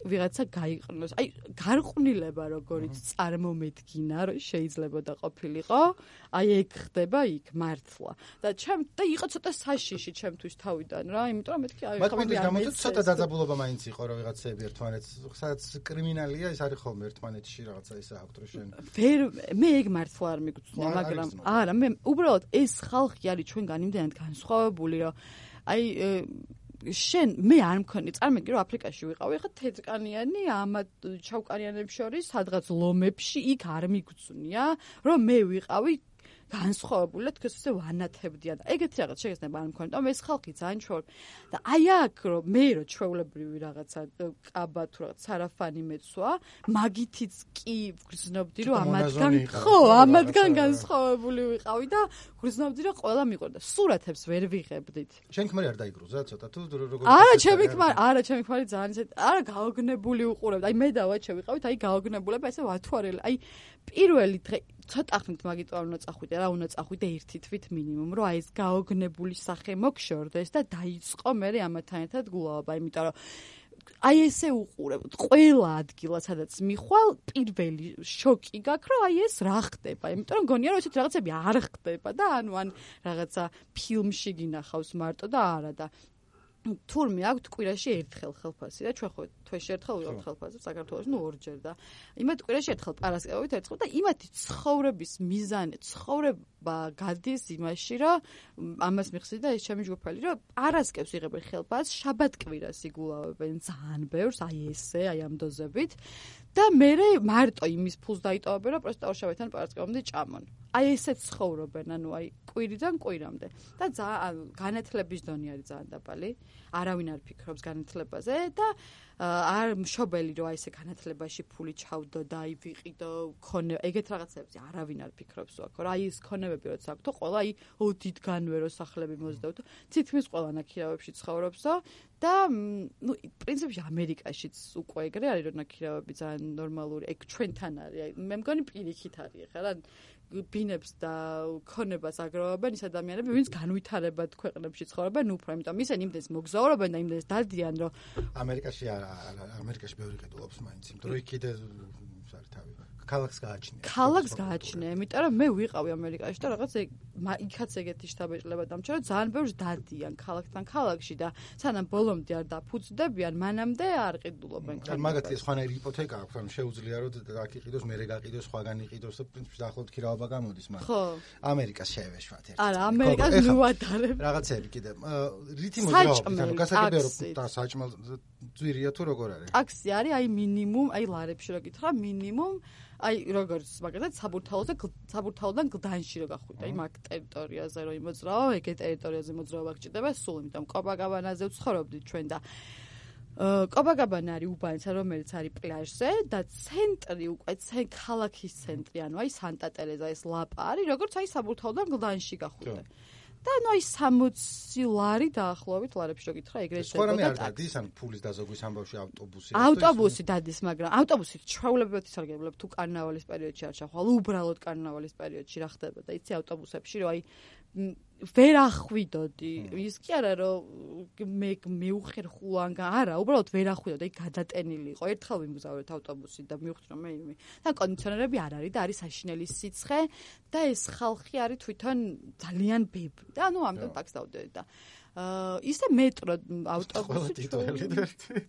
ვიღაცა გაიყნოს. აი გარყვნილება როგორიც წარმომედგინა რომ შეიძლება და ყოფილიყო, აი ეგ ხდება იქ მართლა. და იყო ცოტა საშიში ჩემთვის თავიდან რა, იმიტომ რომ მეთქი აი
ხომ გამოწვევ ცოტა დაძაბულობა მაინც იყო რომ ვიღაცები ერთმანეთს სადაც კრიმინალია ის არის ხოლმე ერთმანეთში რაღაცა ისე აქვს რომ შენ
მე ეგ მართლა არ მიგწვნა, მაგრამ არა მე უბრალოდ ეს ხალხი არის ჩვენგან იმდენად განსხვავებული რომ აი შენ მე არ მქონი წარმოგიდგენთ რომ აფრიკაში ვიყავი ხა თეთრკანიანი ამ ჩავკანიანებს შორის სადღაც ლომებში იქ არ მიგწვნია რომ მე ვიყავი განსხვავებული და თქოს ესე ვანათებდიან და ეგეთი რაღაც შეგეცნება არ მქონდა და ეს ხალხი ძალიან ჩვეულებრივი და აი აქ რომ მე რო ჩვეულებრივი რაღაცა კაბა თუ რაღაც სარაფანი მეცვა მაგითიც კი ვგრძნობდი რომ ამათგან განსხვავებული ვიყავი და ვგრძნობდი რომ ყველა მიყვარდა სურათებს ვერ ვიღებდით
შენ ქმარი არ დაიგრუზა ცოტა თუ როგორ
არა ჩემი ქმარი ძალიან ისე არა გაოგნებული უყურებდა აი მე და ვაჩე ვიყავით აი გაოგნებულება ესე ვათვალე აი პირველი დღე ცოტა ხნით მაგით არ უნდა წახვიდე რა უნდა წახვიდე ერთი თვით მინიმუმ რომ აი ეს გაოგნებული სახე მოგშორდეს და დაიწყო მე ამათთან ერთად გულაობა იმიტომ რომ აი ესე უყურებთ ყველა ადგილას სადაც მიხვალ პირველი შოკი გაქვს რომ აი ეს რა ხდება იმიტომ რომ გონია რომ ესეთ რაღაცები არ ხდება და ანუ ან რაღაცა ფილმში გინახავს მარტო და არა და თურმე აქვთ კვირაში ერთხელ ხელფასი და ჩვენ ხო თვეში ერთხელ ვიღებთ ხელფასს საქართველოში ორჯერ და იმათ კვირაში ერთხელ პარასკევით ერთხელ და იმათი ცხოვრების მიზანი ცხოვრება გადის იმაში რომ ამას მიხსნით და ეს ჩემი ჯგუფელი რომ პარასკევს იღებენ ხელფასს შაბათ-კვირას იგულავებენ ძალიან ბევრს აი ესე აი ამ დოზებით და მე მარტო იმის ფულს დაიტოვებენ რომ პროსტა ორშაბათიდან პარასკევამდე ჭამონ აი ესე ცხოვრობენ ანუ აი კვირიდან კვირამდე და ძალიან განათლების დონე არის ძალიან დაბალი არავინ არ ფიქრობს განათლებაზე და არ მშობელი რომ აი ესე განათლებაში ფული ჩავდო და აი ვიყიდო ქონე ეგეთ რაღაცებზე არავინ არ ფიქრობს აქ რა აი ეს ქონებები როცა აქვს ყველა აი დიდგანვე რო სახლები მოძდავთ თითქმის ყველა ნაქირავებში ცხოვრობსო და ნუ პრინციპში ამერიკაშიც უკვე ეგრე არის რომ ნაქირავები ძალიან ნორმალური ეგ ჩვენთან არის აი მე მგონი პირიქით არის ხა რა ბინებს და ქონებას აგროვებენ ის ადამიანები, ვინც განვითარებად ქვეყნებში ცხოვრობენ უფრო, იმიტომ ისინი იმდენს მოგზაურობენ და იმდენს დადიან, რომ
ამერიკაში ბევრი ყიდულობს მაინც, იმიტომ რომ იქ კიდე თავი ქალაქს გააჩნია.
ქალაქს გააჩნია, იმიტომ რომ მე ვიყავი ამერიკაში და რაღაც იქაც ეგეთი შთაბეჭდილება დამჭა, რომ ძალიან ბევრს დადიან ქალაქთან ქალაქში და სანამ ბოლომდე არ დაფუძდებიან, მანამდე არ ყიდულობენ.
მაგათი სხვანაირი იპოთეკა აქვს, ანუ შეუძლია რომ აქ იყიდოს, მერე გაყიდოს, სხვაგან იყიდოს და პრინციპში დაახლოებით ქირავება გამოდის, მაგრამ
ხო.
ამერიკას შევეშვათ ერთად.
არა, ამერიკას ნუადარებ.
რაღაცები კიდე. რითი მოძრაობის, ანუ გასაგებია რომ და საჭმელ ძვირია თუ როგორ არის?
ტაქსი არის, აი მინიმუმ, აი ლარებში რო გითხრა, მინიმუმ აი როგორც მაგალითად საბურთალოდან გლდანში რო გახვიდე აი მაგ ტერიტორიაზე რო იმოძრავო ეგ ტერიტორიაზე მოძრაობა გჭირდება სულ იმიტომ კოპაკაბანაზე ვცხოვრობდით ჩვენ და კოპაკაბანა არის უბანისა რომელიც არის პლაჟზე და ცენტრი უკვე ქალაქის ცენტრი ანუ აი სანტა ტერეზა ეს ლაპა არის როგორც აი საბურთალოდან გლდანში გახვიდე და ნუ აი 60 ლარი დაახლოებით ლარებში რო გითხრა ეგრეთ
სხვა რამე არ დადის ან ფულის დაზოგვის ამბავში
ავტობუსი დადის მაგრამ ავტობუსით ჩვეულებრივად ისარგებლებ თუ კარნავალის პერიოდში არ ჩახვალ უბრალოდ კარნავალის პერიოდში რა ხდება და იცი ავტობუსებში რომ აი ვერ ახვიდოდი ის კი არა რომ მე მეუხერხულან არა უბრალოდ ვერ ახვიდოდი გადატენილი იყო ერთხელ ვიმგზავრეთ ავტობუსით და მივხვდი რომ მე და კონდიციონერები არ არის და არის საშინელი სიცხე და ეს ხალხი არის თვითონ ძალიან ბევრი და ნუ ამდენ ტაქსს დავდევი და ისე მეტრო ავტობუსი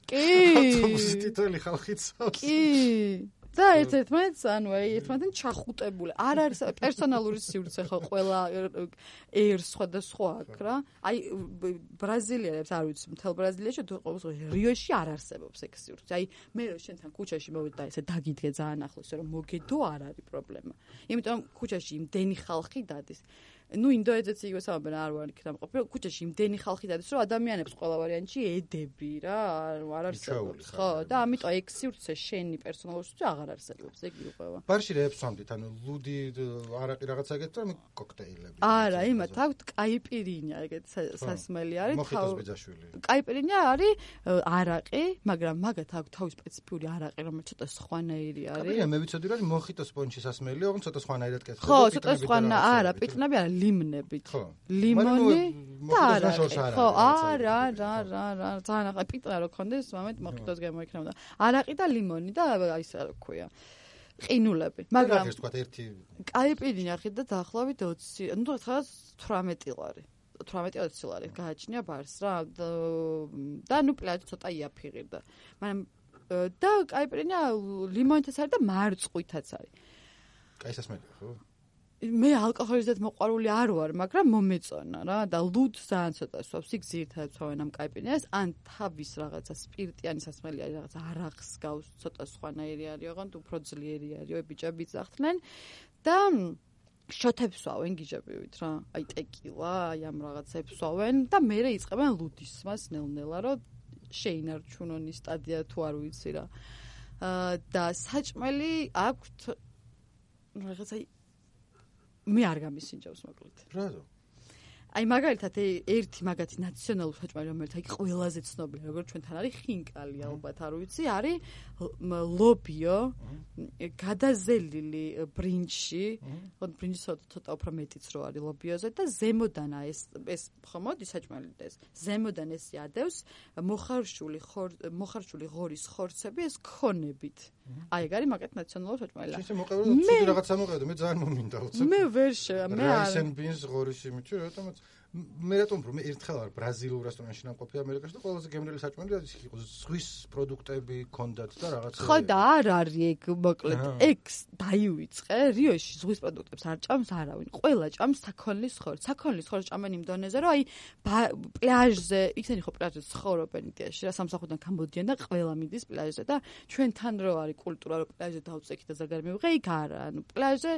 კი
ავტობუსის თითოეული ხალხიც
კი და ერთმანეთს ანუ ერთმანეთთან ჩახუტებული არ არის პერსონალური სივრცე ხო ყველა ერს სხვადასხვა აქვს რა აი ბრაზილიელებს არ ვიცი მთელ ბრაზილიაში თუ რიოში არ არსებობს ეგ სივრცე აი მე რო შენთან ქუჩაში მოვიდე და ესე დაგიდგე ძალიან ახლოს რომ მოგედო არ არის პრობლემა იმიტომ ქუჩაში იმდენი ხალხი დადის ნუ ინდოეთიც იგივე საუბრობენ არ ვარ იქ დამყოფი ქუჩაში იმდენი ხალხი დადის რომ ადამიანებს ყველა ვარიანტში ედები რა არ არსებობს ხო და ამიტომ ეგ სივრცე შენი პერსონალური სივრცე აღარ არსებობს ეგ იყვება
ბარში რეებს ვამდით ანუ ლუდი არაყი რაღაცა ეგეთ რომ კოქტეილები
არა იმათ აქვთ კაიპირინია ეგეთ სასმელი არის
მოხიტოს ბიძაშვილი
კაიპირინია არის არაყი მაგრამ მაგათ აქვთ თავის სპეციფიური არაყი რომელიც ცოტა სხვანაირი არის
კაიპირინია მე ვიცოდი რომ მოხიტოს პონჩი სასმელი ოღონდ ცოტა სხვანაირად კეთდება
ხო ცოტა სხვანა არა პიტნები არა ლიმნებით ლიმონი და არაყი ხო არა ძალიან პიტნა რო ქონდეს მომენტ მოხიტოს გამოიქნებოდა არაყი და ლიმონი და აი ეს რა ქვია ყინულები მაგრამ
ეს თქვა ერთი
კაიპირინია ხით და დაახლოებით 20 ნუ რა 18 ლარი 18-20 ლარი გააჩნია ბარს რა და ნუ პლაჟი ცოტა იაფიღირდა მაგრამ და კაიპირინია ლიმონითაც არის და მარწყვითაც არის
კაი სასმელია ხო
მე ალკოჰოლიზდეთ მოყვარული არ ვარ, მაგრამ მომეწონა რა და ლუდ ძალიან ცოტა სვავს. იქ ძირითადად სვავენ ამ კაიპირინას, ან თავის რაღაცა სპირტიანი სასმელი არის, რაღაცა არახს გავს, ცოტა სხვანაირი არის, ოღონდ უფრო ძლიერი არის, ბიჭები ძახდნენ და შოთებს სვავენ გიჟებივით რა. აი ტეკილა, აი ამ რაღაცებს სვავენ და მე იწყებენ ლუდისმას ნელ-ნელა, რომ შეინარჩუნონ ის სტადია თუ არ ვიცი რა. და საჭმელი აქვთ რაღაცა მე არ გამისინჯავს მოკლედ.
რატო?
აი მაგალითად ერთი მაგათი ნაციონალური საჭმელი რომელიც აი ყველაზე ცნობილია როგორც ჩვენთან არის ხინკალი ალბათ არ ვიცი არის ლობიო გადაზელილი ბრინჯში ხომ ბრინჯი ცოტა უფრო მეტიც რო არის ლობიოზე და ზემოდანა ეს ხო მოდის საჭმელი ეს ზემოდან ეს ადევს მოხარშული ღორის ხორცები ეს ქონებით აი ეგ არის მაგათ ნაციონალური საჭმელი
ისე მოყევრო ცუდი რაღაცა მოყევრო მე ძალიან მომინდა უცებ
მე ვერ მე არ
რაისენ ბინს ღორის იმით რატომაც მე რატომ მე ერთხელ არ ბრაზილიურ რესტორანში ნამყოფი ამერიკაში და ყველაზე გემრიელი საჭმელი რაც იყო ზღვის პროდუქტები ქონდათ და რაღაცა
ხო და არ არის ეგ მოკლედ ეგ დაივიწყე რიოში ზღვის პროდუქტებს არ ჭამს არავინ ყველა ჭამს საქონლის ხორცს საქონლის ხორცს ჭამენ იმ დონეზე რომ აი პლაჟზე იქნები ხო პლაჟზე ცხოვრობენ იდეაში რა სამსახურიდან გამოდიან და ყველა მიდის პლაჟზე და ჩვენთან რო არის კულტურა რომ პლაჟზე დავწექი და ზაგარ მივიღე იქ არა ანუ პლაჟზე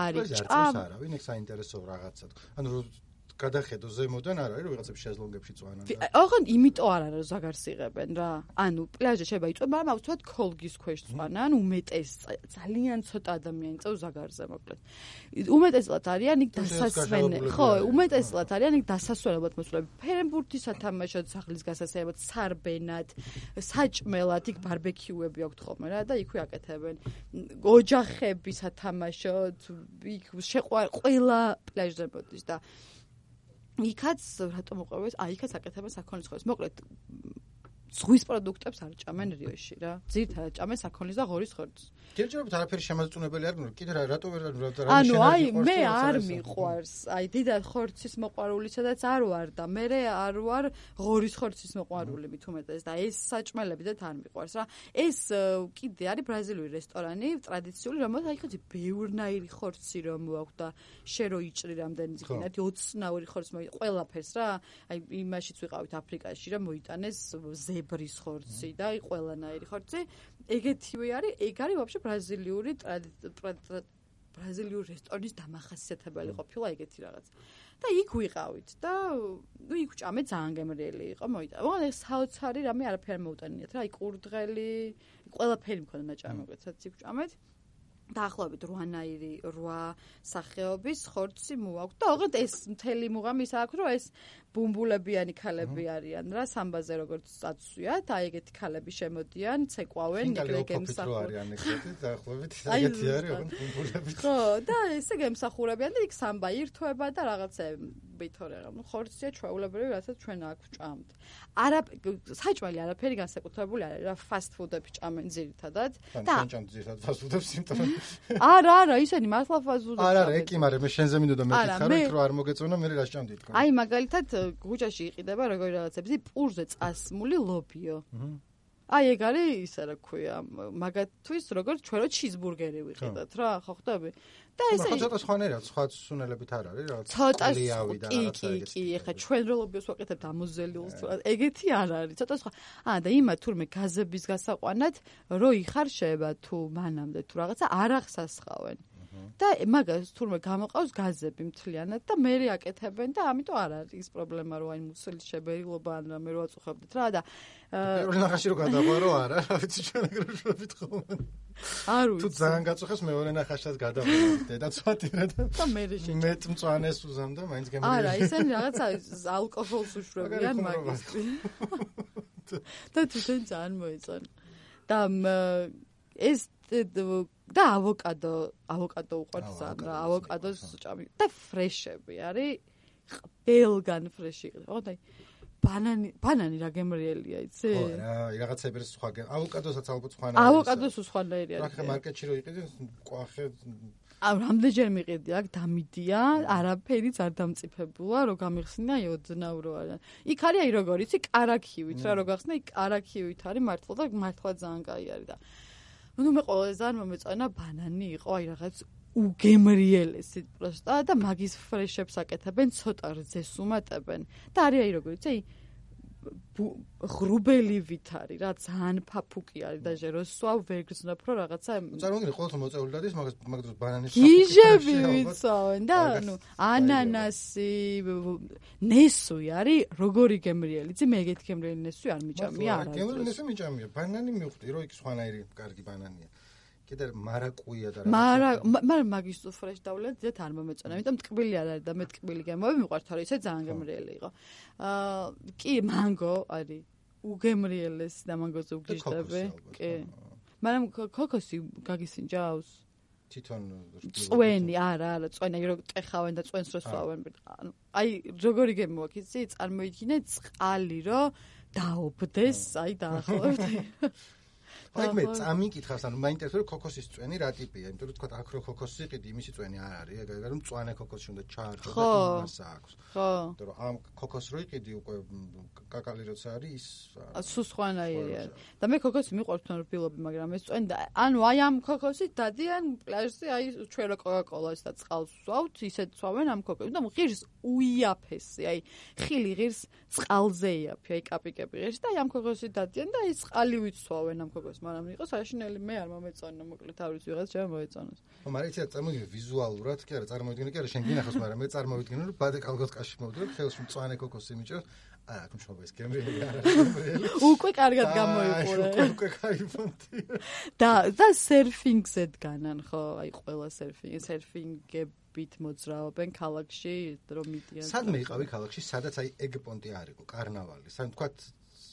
არის ჭამ
არავინ ეგ საინტერესო რაღაცა ანუ გადახედო ზემოდან არ არის რომ ვიღაცებს შეზლონგებში წვანან.
ოღონდ იმიტომ არ არის ზაგარს იღებენ რა. ანუ პლაჟზე შეიძლება იწვევ, მაგრამ აუცილებლად ქოლგის ქვეშ წვანან, უმეტეს ძალიან ცოტა ადამიანი წევს ზაგარზე მოკლედ. უმეტესად არიან იქ დასასვენებლად. ხო, უმეტესად არიან იქ დასასვენებლად მოსულები. ფერენბურთი სათამაშოდ, სახლის გასასწრებლად, სარბენად, საჭმელად, იქ ბარბეკიუები აქვთ ხოლმე რა და იქვე აკეთებენ. ოჯახები სათამაშოდ, იქ ყველა პლაჟზე მოდის და იქაც რატომ უყურებს? იქაც აკეთებენ საქონლის ხორცს. მოკლედ ზღვის პროდუქტებს არ ჭამენ რიოში რა. ძირითადად ჭამენ საქონლის და ღორის ხორცს.
ჯერჯერობით არაფერი შემოწუნებელი არ გქონდა. კიდე რატო ვერ
ანუ აი მე არ მიყვარს. აი დიდად ხორცის მოყვარული სადაც არ ვარ და მე არ ვარ ღორის ხორცის მოყვარული მით უმეტეს და ეს საჭმელებიც არ მიყვარს რა. ეს კიდე არის ბრაზილიური რესტორანი, ტრადიციული, რომელსაც აი ხოთი ბევრნაირი ხორცი რომ აქვს და შე რო იჭრი რამდენი ძინათ 20-ნაირი ხორცი ყველაფერს რა. აი იმაშიც ვიყავით აფრიკაში რა მოიტანეს ზებრის ხორცი და აი ყველანაირი ხორცი. ეგეთივე არის, ეგ არის ვაფშე ბრაზილიური რესტორნის დამახასიათებელი ყოფილა ეგეთი რაღაც. და იქ ვიყავით და ნუ იქ ჭამე ძალიან გემრიელი იყო მოიტანა. მაგრამ ეს საოცარი რამე არაფერი მოუტანიათ რა. აი კურდღელი, ყველაფერი მქონდა ნაჭამი მოგეცათ იქ ჭამეთ. დაახლოებით 8 სახეობის ხორცი მოაქვს და ოღონდ ეს მთელი მუღამი ის აქვს რომ ეს ბუმბულებიანი ქალები არიან რა სამბაზე როგორც აწვიათ აი ეგეთი ქალები შემოდიან ცეკვავენ
ნიგლეგემსახურებიან დაახლოებით ეგეთი არის ოღონდ ბუმბულები
ხო და ესე გემსახურებიან და იქ სამბა ირთვება და რაღაცები თორე რა ხორცია ჩვეულებრივი რასაც ჩვენ აქ ვჭამთ არა საჭმელი არაფერი განსაკუთრებული არის რა ფასტ ფუდები ჭამენ ძირითადად
და ჩვენ ჭამთ ძირითადად ფასტ ფუდებს იმიტომ
არა ისინი მართლა ფასტ ფუდებს
არა ეკი მაგრამ მე შენზე მინდოდა მეკითხა რომ იქ რო არ მოგეწონა მე რა ჭამდი თქო
აი მაგალითად გუჯაში იყიდება როგორი რაღაცები პურზე წასმული ლობიო აი ეგ არის ისა რა ქვია მაგათთვის როგორც ჩვენ რო ჩიზბურგერი ვიყიდათ რა ხო ხვდები და ესე
ცოტა სხვანაირად სხვა სუნელებით არ არის რა
ცოტა კი ეხა ჩვენ რო ლობიოს ვაკეთებთ ამოზელიულს ეგეთი არ არის ცოტა სხვა და იმა თურმე გაზების გასაყვანად რო იხარშება თუ მანამდე თუ რაღაცა არ ახსასხავენ და მაგას თურმე გამოყავს გაზები მთლიანად და მე აკეთებენ და ამიტომ არ არის ის პრობლემა რომ აი მუცლის შებერილობა ან რამე რო აწუხებდეთ რა და
პირველ ნახაში რო გადაღვარო არა რა ვიცი ჩვენ ეგრეშობით ხომ
არ ვიცი
თუ ძალიან გაწუხეს მეორე ნახაშად გადაღვარო დედაცვათირა და
მე
მეტ მწვანეს უზამდა მაინც გემრიელი
არა ისინი რაღაცა ალკოჰოლს უშვებიან მაგისტრი და თვითონ ძალიან მოეწონა და ეს და ავოკადო უყვარს ძალიან რა ავოკადოს ჭამი და ფრეშები არის ყველგან ფრეში იყო და ბანანი რა გემრიელია იცი
ხო რა რაღაცები სხვა ავოკადოსაც ალბათ სხვა
ავოკადოს სხვანაირი არის
რა მარკეტში რო იყიდი ყვახე
რამდენჯერ მიყიდი აქ დამიდია არაფერიც არ დამწიფებულა რო გამიხსნა ოდნავრო არა იქ არის აი როგორ იცი კარაქივით რა რო გახსნა იქ კარაქივით არის მართლა და მართლა ძალიან კაი არის და ნუ მე ყველაზე ძალიან მომეწონა ბანანი იყო აი რაღაც უგემრიელესი პროსტა და მაგის ფრეშებს აკეთებენ ცოტა რძეს უმატებენ და არის აი როგორ იცი ღრუბელივით არის რა ძალიან ფაფუკი არის და ჟეროსვა ვერ გრძნობ რომ რაღაცა
წარმოგიდგენთ ყოველთვის მოწეული დადის მაგ დროს ბანანის
გიჟები ვიცავენ და ნუ ანანასი ნესვი არის როგორი გემრიელი იცი მე ეგეთი გემრიელი ნესვი არ მიჭამია არა
გემრიელი ნესვი მიჭამია ბანანი მივხვდი რომ იქ სხვანაირი კარგი ბანანია კიდე მარაკუია და
მაგრამ მაგის ფრეშ დავლეთ ძეთ არ მომეწონა იმიტომ ტკბილი არ არის და მე ტკბილი გემოვი მიყვართ თორე ისე ძალიან გემრიელი იყო კი მანგო არის უგემრიელესი და მანგოზე უგიჟდები კი მაგრამ ქოქოსი გაგისინჯავს
თვითონ
წვენი არა წვენი რო ტეხავენ და წვენს რო სვავენ აი როგორი გემო აქვს იცი წარმოიდგინე წყალი რო დაობდეს აი დაახლოებით
აი მე წამიკითხავს, ანუ მაინტერესებს რომ ქოქოსის წვენი რა ტიპია, იმიტომ რომ თქვა აქრო ქოქოსი იყიდი, იმისი წვენი არ არის, ეგ რომ მწვანე ქოქოსი უნდა ჩაარჯო და იმასა აქვს.
ხო.
იმიტომ რომ ამ ქოქოსს რო იყიდი უკვე კაკალი როცა არის ის
სულ სხვანაირი არის. და მე ქოქოსი მიყვარს თან რბილობი, მაგრამ ეს წვენი ანუ აი ამ ქოქოსით დადიან პლაჟზე აი ჩვენ რა კოკაკოლას და წყალს ვსვავთ, ისეთ ვსვავენ ამ ქოქოსს და ღირს უიაფესი, აი ხილი ღირს წყალზე იაფი, აი კაპიკები ღირს და აი ამ ქოქოსით დადიან და აი წყალი ვიცვავენ ამ ქოქოსს, მაგრამ იყო საშინელი მე არ მომეწონა, მოკლედ თავის ვიღაც ჩემ მოეწონოს.
ხო, მაგრამ იცი რა წარმოვიდგინე ვიზუალურად, კი არა, წარმოვიდგინე, კი არა, შენ გინახავს, მაგრამ მე წარმოვიდგინე რომ ბადე კალგოტკაში მოვდივარ, ხელში მწვანე ქოქოსი მიჭერ. აა, აქ მშობეს გემრიელი არა, გემრიელი.
უკვე კარგად გამოიყურე.
უკვე кайფონდი.
და სერფინგზე დგანან, ხო, აი ყველა სერფინგებით მოძრაობენ ქალაქში, რომ მიდიან.
სადმე იყავი ქალაქში, სადაც აი ეგ პონტი არ იყო, კარნავალი. სამ თქვა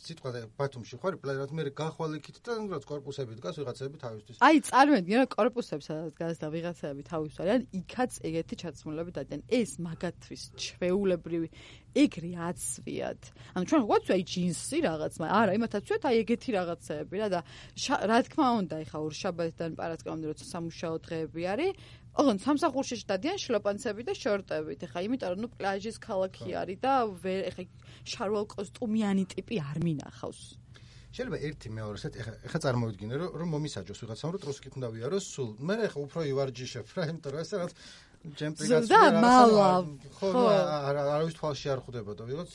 სიტყვაზე ბათუმში ხარ, პლანად მე გახვალ იქით და რაც корпуსები დგას ვიღაცები თავისთვის.
აი, წარმოვიდგინე რა корпуსებს სადაც დგას და ვიღაცები თავის არიან, იქაც ეგეთი ჩაცმულები დადიან. ეს მაგათვის ჩვეულებრივი ეგრე აცვიათ. ანუ ჩვენ ვაქვს აი ჯინსი რაღაც, მაგრამ არა, იმათაც ვცვათ აი ეგეთი რაღაცეები რა და რა თქმა უნდა, ეხა ორშაბათიდან პარასკევამდე როცა სამუშაო დღეები არის, ოღონდ სამსახურში დადიან შლოპანცები და შორტებით. ეხა იმიტომ რომ ნუ პლაჟის ქალაქი არის და ეხა შარვალ კოსტუმიანი ტიპი არ მინახავს.
შეიძლება ერთი მეორესად ეხა წარმოვიდგინე რომ მომისაჯოს ვიღაცამ რომ ტროსკით უნდა ვიაროს სულ. მე ეხა უფრო ივარჯიშებ რა, იმიტომ რომ ესაა ჯემპრიგაც ხო არავის თვალში არ ხვდებოდა ვიღაც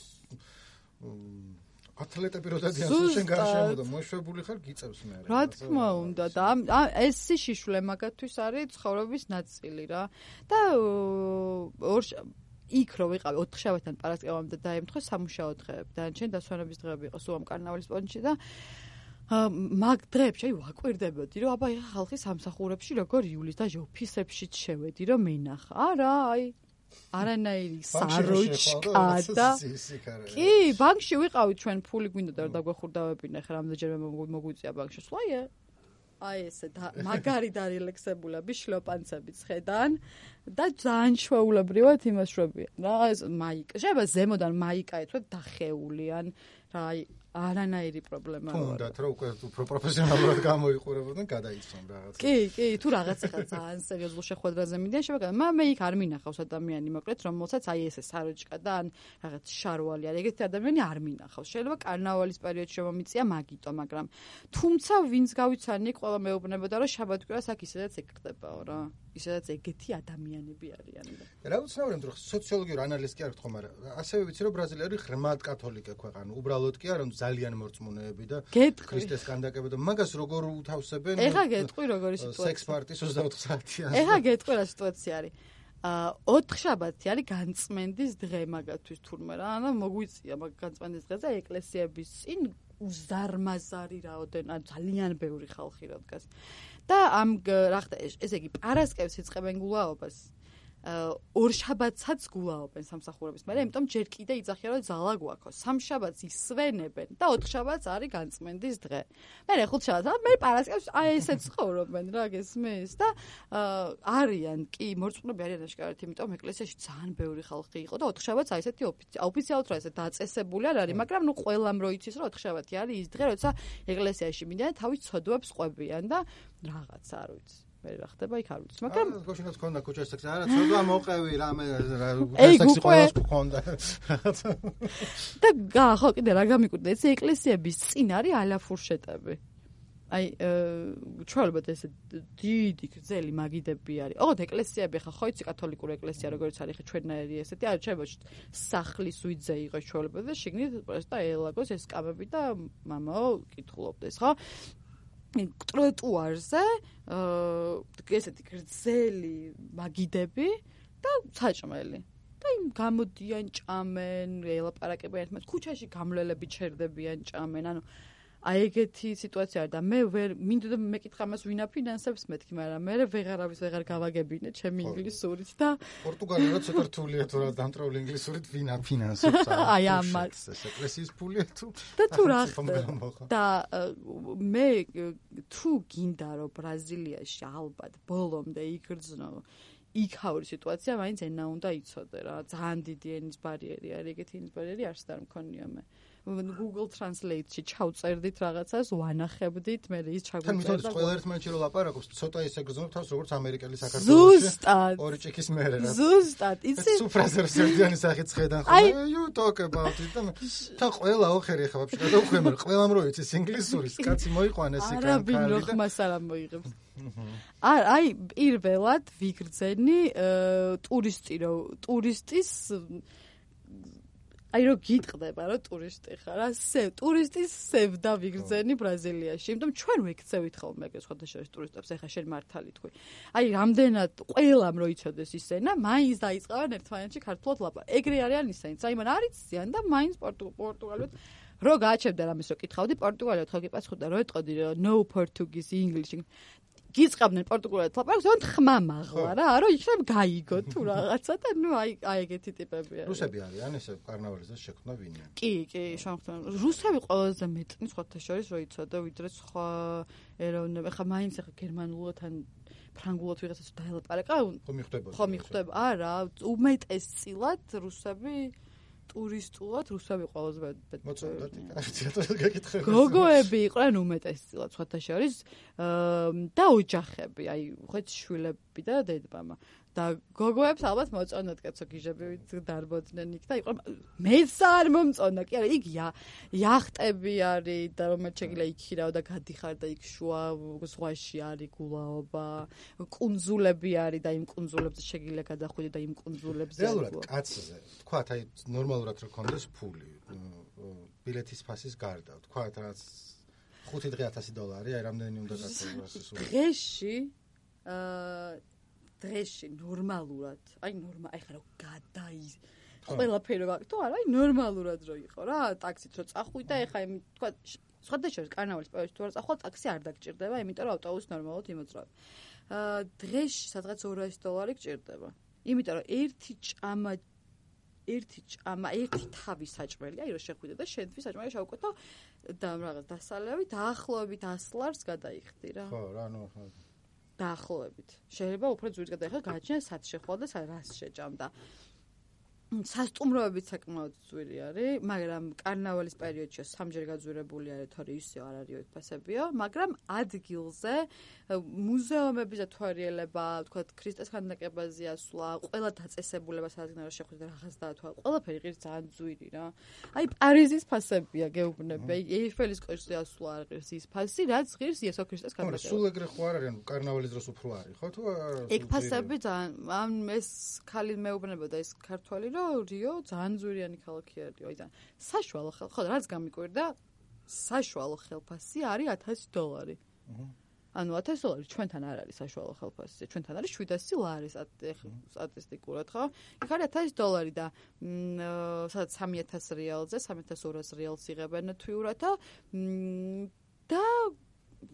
ათლეტები რო დადიან შენ გარშემო და მოშვებული ხარ გიწევს მე არა.
რა თქმა უნდა და ეს შიშვლე მაგათვის არის ცხოვრების ნაწილი რა. და იქ რო ვიყავი 4 შაბათიდან პარასკევამდე დაემთხვა სამუშაო დღეები. დანარჩენი დასვენების დღეები იყო სულ ამ კარნავალის პონჩი და მაგ დრეებში აი ვაკვირდებოდი რომ აბა ეხა ხალხი სამსახურებში როგორ იulis და ოფისებშიც შევედი რომ მენახა. არა, აი არანაირი საროჩკა და კი, ბანკში ვიყავით ჩვენ ფული გვინდოდა რომ დაგვეხურდავებინე ხა რამდენჯერმე მოგვიწია ბანკში სვაიე. აი ესე მაგარი და რელექსებულები შლოპანცები ხედან და ძალიან ჩვეულებრივად იმას შვებიან. რა ეს მაიკა, შეიძლება ზემოდან მაიკა ეთქვათ დახეულიან, რა აი არანაირი პრობლემა არ აქვს.
თუნდაც რომ უკვე უფრო პროფესიონალურად გამოიყურებოდნენ, გადაიცვან რაღაც.
კი, თუ რაღაც ახლა ძალიან სერიოზულ შეხვედრაზე მიდიან, შეიძლება, მაგრამ მე იქ არ მინახავს ადამიანი, მოკლედ, რომელსაც აი ესე საროჭკა და ან რაღაც შარვალი არის, ეგეთი ადამიანი არ მინახავს. შეიძლება კარნავალის პერიოდში მომიწია მაგიტო, მაგრამ თუმცა ვინც გავიცანი, ყველა მეუბნებოდა, რომ შაბათ-კვირას აქ ისედაც ეგ ხდებაო რა. ისედაც ეგეთი ადამიანები არიან.
რა უცნაური, რომ სოციოლოგიური ანალიზი კი არ გქო, მაგრამ ასევე ვიცი, რომ ბრაზილია არის ღრმად კათოლიკე ქვეყანა. უბრალოდ კი არა, ძალიან მორწმუნეები და ქრისტეს კანდაკება და მაგას როგორ უთავსებენ?
ეხა გეტყვი როგორი სიტუაცია.
სექს პარტის 24 საათიანი.
ეხა გეტყვი რა სიტუაცია არის. 4 შაბათი არის განწმენდის დღე მაგათვის თურმე რა. ანუ მოგვიწია მაგ განწმენდის დღეზე ეკლესიების წინ უზარმაზარი რაოდენ, ანუ ძალიან ბევრი ხალხი რა დგას. და ამ რა ხდა ესე იგი პარასკევს იწყებენ გულაობას. ორშაბათსაც გულაობენ სამსახურების, მაგრამ იმიტომ ჯერ კიდე იძახიან რომ ძალა გვაქვს. სამშაბათს ისვენებენ და 4 შაბათს არის განწმენდის დღე. მე 5 შაბათს, მე პარასკევს აი ესე ცხოვრობენ რა გესმის და არიან კი მორწმუნეები არიან აშკარად, იმიტომ ეკლესიაში ძალიან ბევრი ხალხი იყო და 4 შაბათს აი ესეთი ოფიციალურად რა ესე დაწესებული არ არის, მაგრამ ნუ ყველამ რო იცის რომ 4 შაბათი არის ის დღე, როცა ეკლესიაში მიდიან თავის ცოდვებს ყვებიან და რაღაც არ ვიცი. მე რა ხდება იქ არ ვიცი, მაგრამ
გოშინაც ქონდა კუჩას სექსი, არა, ცოდვა მოყევი რამე სექსი ყოველს ქონდა.
და ხო კიდე რა გამიკვირდა, ეს ეკლესიების წინ არის ალაფურშეტები. აი ჩვეულებრივ ეს დიდი გრძელი მაგიდები არის. ოღონდ ეკლესიები ხა ხო იცი კათოლიკური ეკლესია როგორც არის ხა ჩვენნაირი ესეთი, არ შეიძლება სახლის უიძე იყოს ჩვეულებრივ და შიგნით პროსტა ელაგოს ეს კამები და მამაო კითხულობდეს, ხო? ტროტუარზე ესეთი გრძელი მაგიდები და საჭმელი. და იმ გამოდიან ჭამენ, ელაპარაკებიან ერთმანეთს, ქუჩაში გამლელები ჩერდებიან, ჭამენ, ანუ აი ეგეთი სიტუაცია არის და მე ვერ მინდოდა მეკითხა მას ვინ აფინანსებს მეთქი, მაგრამ მე ვეღარავის ვეღარ გავაგებინე ჩემი ინგლისურით და
პორტუგალია ცოტა რთულია თუ რა დამტრაული ინგლისურით ვინ აფინანსებს
აი ამას
ეს ეკლესიის ფულია თუ
და თუ რა და მე თუ გინდა რომ ბრაზილიაში ალბათ ბოლომდე იგრძნო იქაური სიტუაცია, მაინც ენა უნდა იცოდე რა, ძალიან დიდი ენის ბარიერი არის, ეგეთი ენის ბარიერი არც არ მქონია მე. Google Translate-ში ჩავწერდით რაღაცას, ვანახებდით, მე ის ჩაგვიწერდა.
თან მithოდის ყველა ერთმანეთში რომ ლაპარაკობს, ცოტა ისე გრძნობ თავს როგორც ამერიკელი საქართველოში. ორი ჭიქის მერე რა.
ზუსტად, იცი?
სუფრაზერს ერთიანი სახით ხედან ხოლმე. You talk about it. თან ყველა ოხერი ხა ვაფშე გადავხვემ, ყველამ რო იცის ინგლისურის, კაცი მოიყვანეს იქ.
არაბინ რო ხმას არ მოიღებს. აი, პირველად ვიგრძენი ტურისტის აი რო გიტყდება რომ ტურისტი ხარ, ტურისტის სევდა ვიგრძენი ბრაზილიაში, იმიტომ ჩვენ ვიქცევით ხოლმე ეგ სხვათა შორის ტურისტებს, ეხა შენ მართალი თქვი. აი, რამდენად ყველამ რო იცოდეს ის ენა, მაინც დაიწყავენ ერთმანეთში ქართულად ლაპარაკ. ეგრე არიან ისინიც, აი მან არ იციან და მაინც პორტუგალიურად რო გააჩებდა რამის რო კითხავდი, პორტუგალიურად ხო გიპასუხდა, რო ეტყოდი no Portuguese English. გიწყაბდნენ პორტუგალიურად ლაპარაკს, ზოგადად ხმა მაღლა რა, რომ იქნებ გაიგო თუ რაღაცა და ნუ აი ეგეთი ტიპები არის.
რუსები არიან ესე კარნავალიზას შექმნა ვინმე?
კი, შემოხტა. რუსები ყველაზე მეტნი სხვათა შორის რო იცოდა, ვიდრე სხვა ეროვნები. ხა მაინც ხა გერმანულად ან ფრანგულად ვიღაცას დაელაპარაკა. ხო მიხვდება. არა, უმეტესწილად რუსები ტურისტულად რუსები ყველაზე მეტ
მოწონდათ თეატრში გაკითხე.
გოგოები იყვნენ უმეტესწილად სხვათა შორის და ოჯახები, აი ხეთ შვილები და დედმამა. და გოგოებს ალბათ მოწონდათ კაცო გიჟები დარბოდნენ იქ და იყო მეც არ მომწონდა კი არა იქ იახტები არის და რომელიც შეგიძლია იქ ხირავ და გადიხარ და იქ შუა ზღვაში არის გულაობა კუნძულები არის და იმ კუნძულებზე შეგიძლია გადახვიდე და იმ კუნძულებზე
რეალურად კაცზე თქვათ აი ნორმალურად რო კონდეს ფული ბილეთის ფასის გარდა თქვათ რაც 5 დღე $1000 აი რამდენი უნდა გაწევას დღეში ნორმალურად, აი ხა რა გადაის. ყველაფერი რა, თუ არა, აი ნორმალურად რო იყო რა, ტაქსით რო წახვიდა, ეხა თქვა სხვათა შორის კარნავალის პერიოდში თუ არ წახვალ, ტაქსი არ დაგჭირდება, იმიტომ რომ ავტობუსი ნორმალურად იმოძრავებ. დღეში სადღაც $200 გჭირდება. იმიტომ რომ ერთი თავი საჭმელი, აი რო შეხვიდე და შენთვის საჭმელი შევკვეთა და რაღაც დასალევი დაახლოებით $100 გადაიხდი რა. ხო, რა ნუ ხო.
დაახლოებით. შეიძლება უფრო ძვირს გადაიხადო, გააჩნია სად შეხვალ და რას შეჭამდა. სასტუმროებიც საკმაოდ ძვირი არის, მაგრამ კარნავალის პერიოდში სამჯერ გაძვირებული არის, თორე ისე არ არის ფასებიო, მაგრამ ადგილზე მუზეუმების დათვალიერება, თქვა ქრისტეს ქანდაკებაზე ასვლა, ყველა დაწესებულება სადღაც შეხვდა რაღაც დაათვალა, ყველაფერი ღირს ძალიან ძვირი რა. აი პარიზის ფასებია გეუბნები, აი ეიფელის კოშკზე ასვლა არ ღირს ის ფასი, რაც ღირს იესო ქრისტეს ქანდაკება.
სულ ეგრე ხო არ არის, კარნავალის დროს უფრო არის, ხო თუ
ეგ ფასები ძალიან ეს ხალი მეუბნებოდა ეს ქართველი რომ რიო ძალიან ძვირიანი ქალაქი არის, აი ძალიან საშუალო ხო რაც გამიკვირდა საშუალო ხელფასი არის $1000. ანუ $1000 ჩვენთან არ არის საშუალო ხელფასი, ჩვენთან არის $700 სტატისტიკურად ხო? იქ არის $1000 და სადაც $3000 $3200 იღებენ თვიურად და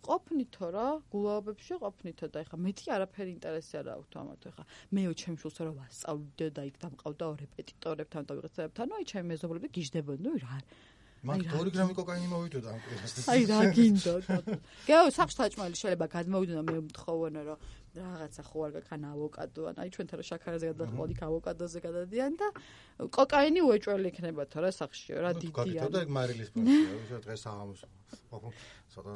ყოფნითო რა, გულაობებში ყოფნითო და ეხა მეტი არაფერი ინტერესი არ აქვს ამათ ეხა მეო ჩემ შულს რა ვასწავლდე და იქ დამყავდა რეპეტიტორებთან და ვიღაცებთან, აი ჩემი მეზობლები გიждდებოდნენ, რა
მაგ 2 გრამი კოკაინი მოვიდოდა ამ კვირას.
აი რა გინდოდ. გეო სახში საჭმელი შეიძლება გადმოვიდონა მე მთხოვნა რომ რაღაცა ხო არ გაქან ავოკადო ან აი ჩვენთან რა შაქარაზე გადახვდი ავოკადოზე გადადიან და კოკაინი უეჭველი იქნება თორე სახშიო რა დიდია.
გაკეთდა ეგ მარილის პროცესი დღეს აღამოს.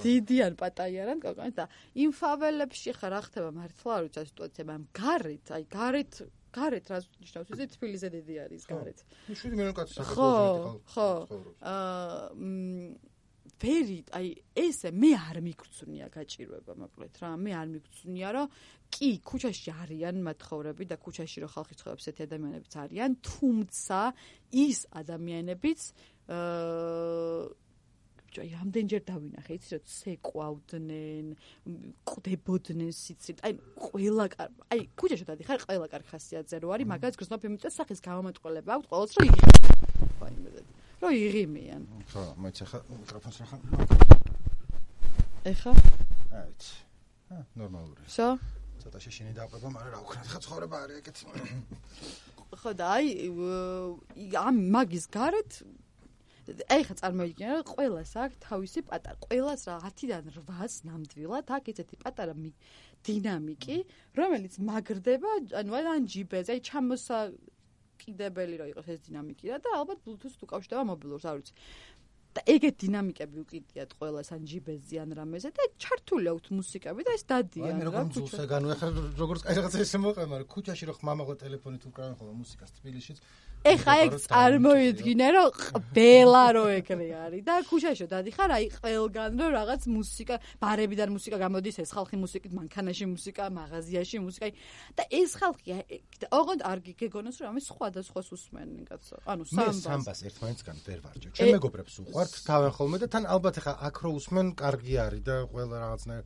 დიდიან პატაიარან კოკაინი და იმ ფაველებში ხა რა ხდება მართლა არ ვიცი სიტუაცია, მაგრამ გარეთ რა ნიშნავს ეს თბილისზე დიდი არის გარეთ.
7 მილიონი კაცი საქართველოში
ხო. ვერი, აი ესე მე არ მიგწუნია გაჭირვება, მოკლედ რა, მე არ მიგწუნია, რომ კი, ქუჩაში არიან მათხოვრები და ქუჩაში რო ხალხი ცხოვრობს, ესეთი ადამიანებიც არიან, თუმცა ის ადამიანებიც აი რამდენჯერ დავინახე, იცი რომ ცეკვავდნენ, ყდებოდნენ სიცით, აი ყველა აი ქუჩაში დადიხარ, ყველა კარგი ხასიათზე რო არის, მაგას გრძნობ იმით სახის გამომატყოლება აქვს, ყოველთვის რომ იღიმიან. რო იღიმიან.
ხო, მოიცა ხა მიკროფონს რა ხა.
ეხა?
აიც. ნორმალური.
შო?
ცოტა შეშინი დაყვება, მაგრამ რა ვქნათ, ხა ცხოვრება არის ეგეთი.
ხო და აი ამ მაგის გარეთ ეხა წარმოიდგინე რომ ყველას აქვს თავისი პატარა, ყველას რა 10-დან 8-ს ნამდვილად აქვს ესეთი პატარა დინამიკი, რომელიც მაგრდება, ანუ ან ჯიბეზე, აი დამოუკიდებელი რომ იყოს ეს დინამიკი და ალბათ Bluetooth უკავშირდება მობილურს, არ ვიცი. და ეგეთ დინამიკები უკიდიათ ყველას ან ჯიბეზე ან რამეზე და ჩართული აქვს მუსიკები და ეს დადიან
რა. როგორ ძულსაგანო ახლა როგორც კაი რაღაცა ესე მოყვა, მაგრამ ქუჩაში რო ხმამაღლა ტელეფონით უკრავენ ხოლმე მუსიკას თბილისშიც.
ეხა ეგ წარმოიდგინე რომ ყველა რო ეგრე არის და ქუჩაში დადიხარ აი ყველგან რო რაღაც მუსიკა, ბარებიდან მუსიკა გამოდის, ეს ხალხი მუსიკით, მანქანაში მუსიკა, მაღაზიაში მუსიკა და ეს ხალხი ოღონდ არ გიგეგონოს რომ ამის სხვადასხვას უსმენენ კაცო. ანუ
სამბას ერთმანეთსგან ვერ ვარჯევ. ჩემ მეგობრებს უყვართ თავენ ხოლმე და თან ალბათ ახლა აქ რო უსმენ კარგი არის და ყველა რაღაცნაირ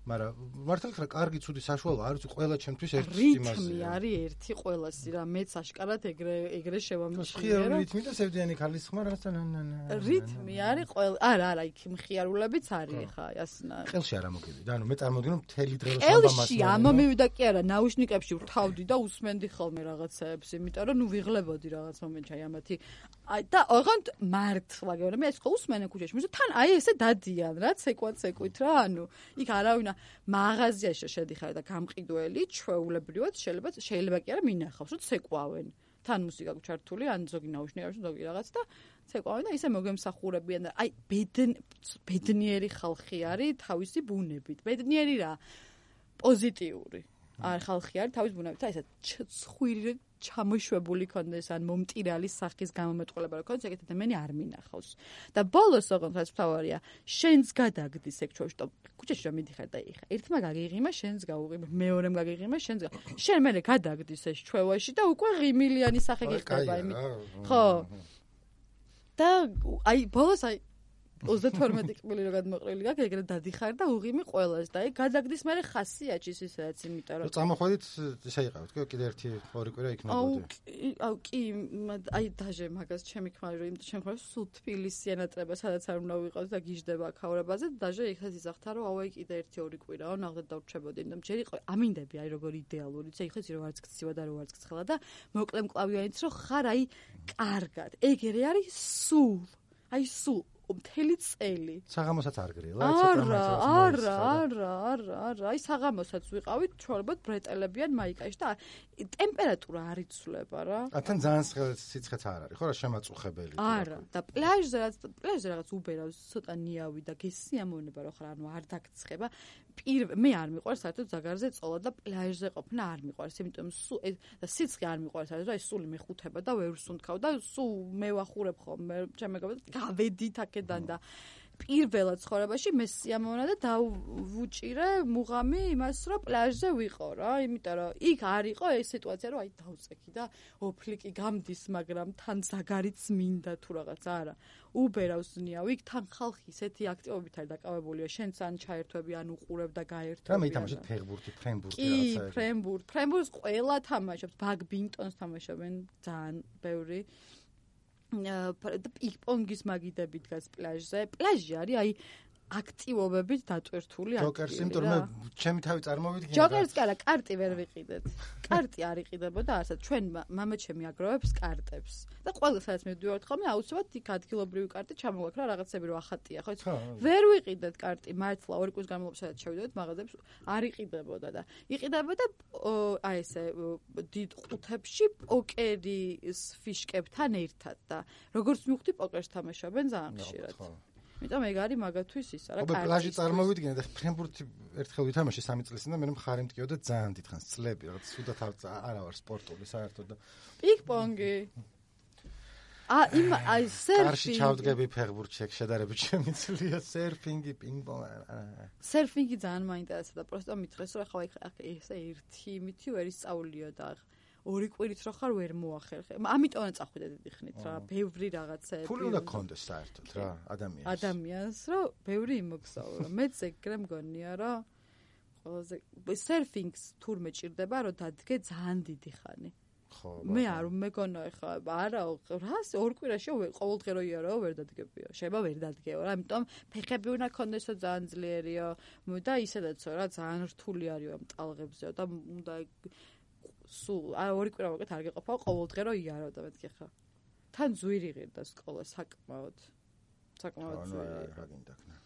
მაგრამ მართალ ხარ კარგი ცუდი საშუალო არ ვიცი ყველა ჩემთვის ერთი იმაზე
რითმი არის ერთი ყველასი რა მეც აშკარად ეგრე შევამჩნიე
მხიარული რითმი და სევდიანი ქალის ხმა რაღაცა
რითმი არის ყველა არა იქ მხიარულებიც არის ხა ასნა
ყელში არ ამოგივიდა ანუ მე წარმოგიდგენო მთელი დღე რომ
სამბამას ყელში ამომივიდა კი არა ნაუშნიკებში ვთავდი და უსმენდი ხოლმე რაღაცაებს იმიტომ რომ ნუ ვიღლებოდი რაღაც მომენტში აი ამათი და ოღონდ მართლა გეუბნები ეს ხო უსმენენ ქუჩაში მაგრამ თან აი ესე დადიან რა ცეკვით რა ანუ იქ არავინ მაღაზიაში შედიხარ და გამყიდველი ჩვეულებრივად შეიძლება კი არა მინახავს რომ ცეკვავენ თან მუსიკა გვჩართული ან ზოგი ნაუშნიკებში ზოგი რაღაც და ცეკვავენ და ისე მოგემსახურებიან და აი ბედნიერი ხალხი არის თავისი ბუნებით ბედნიერი რა პოზიტიური არ ხალხი არის თავის ბუნებით აი ესა ცხვირი ჩამოშვებული კონდეს ან მომტირალი სახის გამომეტყველება რო კონდეს ეგეთ ადამიანი არ მინახავს და ბოლოს ოღონდ რაც მთავარია შენს გადაგდის ეგ ჩვეუში ქუჩაში რომ მიდიხარ და იხა ერთმა გაგიღიმა შენს გაუღიმე მეორემ გაგიღიმა შენს შენ მერე გადაგდის ეს ჩვევაში და უკვე ღიმილიანი სახე გიხდება იმით ხო და აი ბოლოს აი 32 კბილი რო გადმოყრილი გაქვს ეგრე დადიხარ და უღიმი ყველას და აი გადაგდის მერე ხასიაჩის ისედაც იმიტომ რომ
წამოხვედით ისე იყავით კიდე ერთი ორი კვირა იქნებოდი
აუ კი აი დაჟე მაგას ჩემი ქმარი რომ ჩემ ქმარს სულ თბილისი ენატრება სადაც არ უნდა ვიყავთ და გიждდება აქაურებაზე დაჟე ეხეთ იზახთა რომ აუ აი კიდე ერთი ორი კვირაო ნახეთ დავრჩებოდი და ჯერ იყო ამინდები აი როგორი იდეალური იცი ეხეთ რომ არც გცივა და რო არც გცხელა და მოკლემ კლავიანიც რომ ხარ აი კარგად ეგრე არის სულ აი სულ მთელი წელი.
საღამოსაც არ გრილა,
არა, აი საღამოსაც ვიყავით, ჩვეულებრივ ბრეტელებიან მაიკაში და ტემპერატურა არ იცვლება რა.
თან ძალიან სიცხეც არ არის, ხო რა შემაწუხებელი.
არა, და პლაჟზე რაღაც უბერავს ცოტა ნიავი და გესიამოვნება რო ხარ, ანუ არ დაგცხება. მე არ მიყვარს საერთოდ ზაგარზე წოლა და პლაჟზე ყოფნა არ მიყვარს, იმიტომ სულ და სიცხე არ მიყვარს, რა სული მეხუთება და ვერ ვსუნთქავ და სულ მე ვახურებ ხოლმე, ჩემ მეგობრებს გავედით აქედან და პირველად ცხოვრებაში მე სიამოვნა და დავუჭირე მუღამი იმას რომ პლაჟზე ვიყო რა, იმიტომ რომ იქ არ იყო ეს სიტუაცია რომ აი დავწექი და ოფლიკი გამდის, მაგრამ თან ზაგარიც მინდა თუ რაღაც არა. უბერავს ნიავ, იქ თან ხალხი ისეთი აქტივობით არის დაკავებულია, შენც ან ჩაერთვები, ან უყურებ და გაერთვები.
რა მეითამაშეთ ფეხბურთი, ფრენბურთი
რაღაცა. კი, ფრენბურთს ყველა თამაშობს, ბაგბინტონს თამაშობენ ძალიან ბევრი. პინგ-პონგის მაგიდები დგას პლაჟზე. პლაჟი არის აი აქტივობებით დატვირთული
ადგილი. ჯოკერს იმიტომ რომ მე ჩემი თავი წარმოვიდგინე.
ჯოკერს კი არა, კარტი ვერ ვიყიდეთ. კარტი არ იყიდებოდა არსად. ჩვენ მამაჩემი აგროვებს კარტებს. და ყველა სადაც მივდივართ ხოლმე, აუცილებლად იქ ადგილობრივი კარტი ჩამოვაქრა რაღაცები რო ახატია, ხო? ვერ ვიყიდეთ კარტი, მართლა ორი კვირის განმავლობაში სადაც შევიდოდეთ მაღაზიებს არ იყიდებოდა და იყიდებოდა აი ესე დიდ ყუთებში პოკერის ფიშკებთან ერთად და როგორც მივხვდი პოკერს თამაშობენ ძალიან ხშირად. იმიტომ ეგ არის მაგათვის ისა რა
კარტი. პლაჟი წარმოვიდგინე და ფრენბურთი ერთხელ ვითამაშე 3 წლის წინ და მე მხარი მткиოდა ძალიან დიდხანს წლები რაღაც სუდათ არა ვარ სპორტული საერთოდ და
პინგ-პონგი აი სერფინგი
კარში ჩავდგები ფეხბურთში ეგ შედარებით შემიძლია სერფინგი პინგ-პონგი
სერფინგი ძალიან მაინტერესებდა და პროსტო მითხრეს რომ ახლა ესე ერთი იმითი ვერ ისწავლიო და ორი კვირით რო ხარ ვერ მოახერხე. ამიტომაც წახვიდე დიდი ხნით რა, ბევრი რაღაცები.
ფული უნდა გქონდეს საერთოდ რა,
ადამიანს, რომ ბევრი იმოგზაურო. მეც ეგრე მგონია, რომ ყველაზე სერფინგს თურმე ჭირდება, რომ დადგე ძალიან დიდი ხანი.
ხო.
მე არ მეგონა ეხა, არა, რას ორ კვირაში ყოველდღე რო იარო ვერ დადგებიო. შეიძლება ვერ დადგეო რა, ამიტომ ფეხები უნდა გქონდესო ძალიან ძლიერიო და ისედაც რა ძალიან რთული არისო ამ ტალღებზეო და უნდა სულ ორი კვირა მოკეთ არ გეყოფა ყოველდღე რო იარო და მეთქი ხა თან ზვირი ღირდა სკოლა საკმაოდ ზვირი
რა გინდაკნა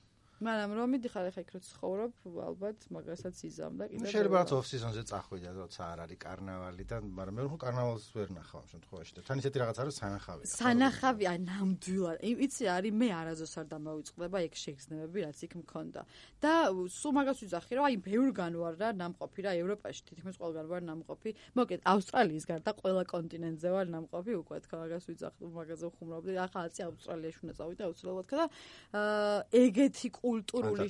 მაგრამ რომ მიდიხარ ახლა იქ რო ცხოვრობ, ალბათ მაგასაც იზამ და კიდე
შეიძლება რაც off season-ზე წახვიდე, როცა არ არის კარნავალი და მაგრამ მე ხო კარნავალს ვერ ნახავ ამ შემთხვევაში და თან ისეთი რაღაც არის სანახავი.
სანახავი, აი ნამდვილად. იცი არის მე არაზოს არ დამოვიწყდება ეგ შეგრძნებები რაც იქ მქონდა. და სულ მაგას ვიძახი რომ აი ბევრგან ვარ რა ნამყოფი რა ევროპაში თითქმის ყველგან ვარ ნამყოფი. მოკეთ ავსტრალიის გარდა ყველა კონტინენტზე ვარ ნამყოფი უკვე თქო მაგას ვიძახი მაგაზე ვხუმრობდი. ახლა აცი ავსტრალიაში უნდა წავიდე აუცილებლად და ეგეთი კულტურული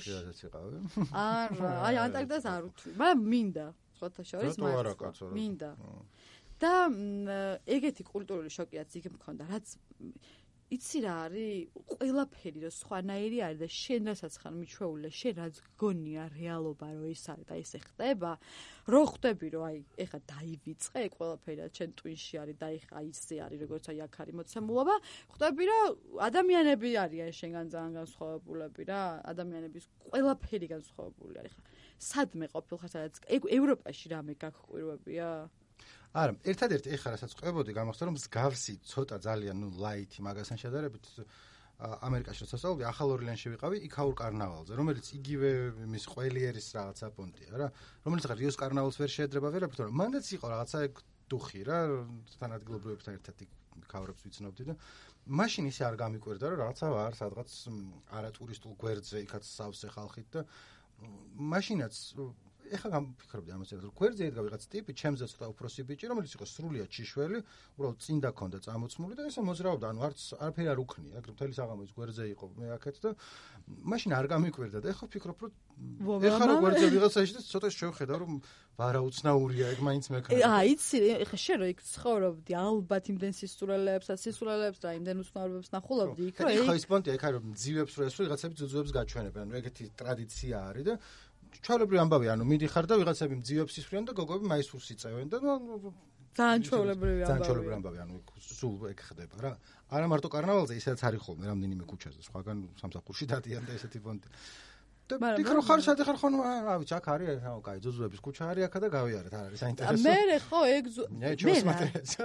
არა, აი ანტარქტიდას არ ვთვლი, მაგრამ მინდა, სხვათა შორის მინდა. და ეგეთი კულტურული შოკი რაც იქ მქონდა, რაც იცი რა არის, ყველაფერი რო სხვანაირი არის და შენ რასაც ხარ მიჩვეული, შენ რაც გგონია რეალობა რო ის არის და ესე ხდება, რო ხვდები რომ აი ეხა დაივიწყე ყველაფერი რაც შენ ტვინში არის და ეხა ისე არის როგორც აი აქ არის მოცემულობა, ხვდები რომ ადამიანები არიან შენგან ძალიან განსხვავებულები რა, ადამიანების ყველაფერი განსხვავებული არის. ხა სადმე ყოფილ ხარ სადაც ევროპაში რამე გაგყვირვებია?
არა, ერთადერთი ეხლა რასაც ყვებოდი, გამახსოვდა რომ მსგავსი ცოტა ძალიან ლაითი მაგასთან შედარებით ამერიკაში შესაძლოა ახალ ორლეანში ვიყავი იქაურ კარნავალზე, რომელიც იგივე მის ყველიერის რაღაცა პონტია რა, რომელიც ხარ რიოს კარნავალს ვერ შეედრება ვერაფერ, თორემ მანდაც იყო რაღაცა დუხი რა, თანადგილობრივებთან ერთად იქაურებს ვიცნობდი და მაშინ ისე არ გამიკვირდა რომ რაღაცა ვარ სადღაც არატურისტულ გვერდზე იქაც სავსე ხალხით და მაშინაც ეხლა გამფიქრობდი ამაზე რომ გვერდზე ედგა ვიღაც ტიპი ჩემზე ცოტა უფროსი ბიჭი რომელიც იყო სრულიად ჭიშველი უბრალოდ წინ დაქონდა წამოწმული და ესე მოძრაობდა ანუ არაფერი არ უქნია ეგრე მთელი საღამო ის გვერდზე იყო მე აქეთ და მაშინ არ გამიკვირდა და ეხლა ვფიქრობ რომ ეხლა რო გვერდზე ვიღაცაში და ცოტა შევხედავ რომ ვარაუცნაურია ეგ მაინც მექნება
იცი ეხლა შენ რო იქ ცხოვრობდი ალბათ იმდენ სისულელებს და იმდენ უცნაურებებს ნახულობდი იქ
რომ ეხლა ის პონტია ეხლა რომ ძივებს რო ესრო ვიღაცები ძუძუებს გაჩვენებენ ანუ ეგეთი ტრადიცია არის და ჩავლებრივი ამბავი, ანუ მიდიხარ და ვიღაცები მძივებს ისვრიან და გოგოები მაისურს იწევენ და
ძალიან ჩვეულებრივი
ამბავი, ანუ სულ ეგ ხდება რა. არა მარტო კარნავალზე, ისაც არის ხოლმე რამდენიმე ქუჩაზე, სხვაგან სამსახურში დადიან და ესეთი პონტი. და ფიქრო ხარ საერთოდ ხარ ხო, რა ვიცი, აქ არის, კაი, ძუძუების ქუჩა არის აქა და გავიარეთ, არ არის საინტერესო.
მე ხო ეგ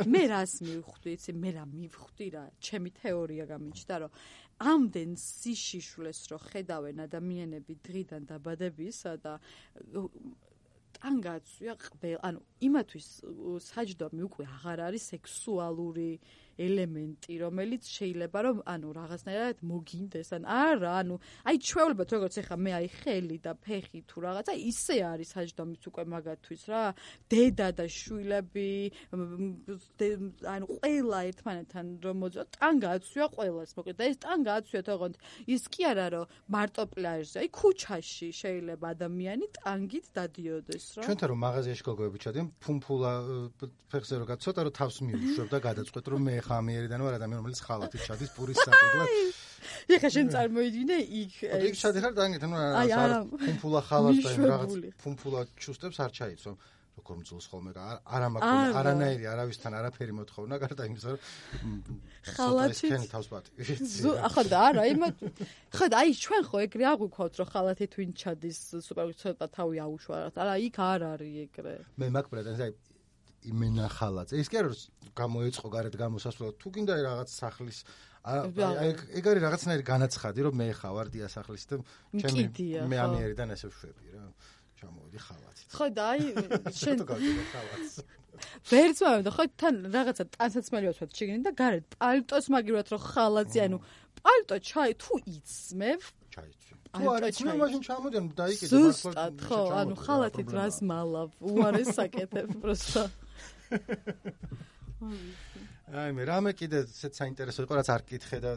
მე რას მივხვდი, იცი, მე რა მივხვდი რა, ჩემი თეორია გამიჩნდა, რომ ამდენ სიშიშვლეს რო ხედავენ ადამიანები დღიდან დაბადებისა და ტანგაცვია ყველ, ანუ იმათვის საჯდომი უკვე აღარ არის სექსუალური ელემენტი, რომელიც შეიძლება რომ ანუ რაღაცნაირად მოგინდეს, არა, ანუ აი ჩვეულებრივად როგორც ეხა მე აი ხელი და ფეხი თუ რაღაცა ისე არის საჯდომიც უკვე მაგათვის რა, დედა და შვილები, ანუ ყველა ერთმანეთთან რომ მოძრა, ტანგა აცვია ყველას, მოკლედ და ეს ტანგა აცვია თქო, ის კი არა რომ მარტო პლაჟზე, აი ქუჩაში შეიძლება ადამიანი ტანგით დადიოდეს რა.
ჩვენთან რომ მაღაზიაში გოგოები ჩადიან, ფუმფულა ფეხზე რო გაცოტა რომ თავს მიუშვებ და გადაწყვეტ რომ მე ამიერიდან ვარ ადამიანი რომელიც ხალათით ჩადის პურის საკიდლად.
ეხლა შენ წარმოიდგინე იქ
იქ ჩადიხარ და ანუ რა ფუმფულა ხალას და რაღაც ფუმფულა ჩუსტებს არ ჩაიცვა. როგორ მძულს ხოლმე არა მაქვს არანაირი არავისთან არაფერი მოთხოვნა გარდა იმისა რომ
ხალათით
ქენი თავს პატი.
ახლა და არა ხა აი ჩვენ ხო ეგრე აღვიქვათ რომ ხალათით ვინ ჩადის სუპერ ცოტა თავი აუშვა არა იქ არ არის ეგრე.
მე მაქვს პრეტენზია იმენა ხალათზე. ის კი არა რომ გამოეწყო გარეთ გამოსასვლელად. თუ გინდა რაღაც სახლის ეგ არის რაღაცნაირი განაცხადი რომ მე ხა ვარ დიასახლის და ჩემი მე ამიერიდან ესე ვშვები რა. ჩამოვიდი ხალათით.
ხო და აი შენ
გავიდი ხალათს.
ვერც მომდა ხო თან რაღაცა ტანსაცმელი ვაცვათ შეგინე და გარეთ პალტოს მაგივრად რომ ხალათზე ანუ პალტო ჩაი თუ იცმევ
ჩაიცვი. თუ არ იცმევ მაშინ ჩამოდიან დაიკიდე
მართლა. ხო ანუ ხალათით რას მალავ უარეს საკეთებ პროსტა.
აი მე რამე კიდე ესეც საინტერესო იყო რაც არ კითხე და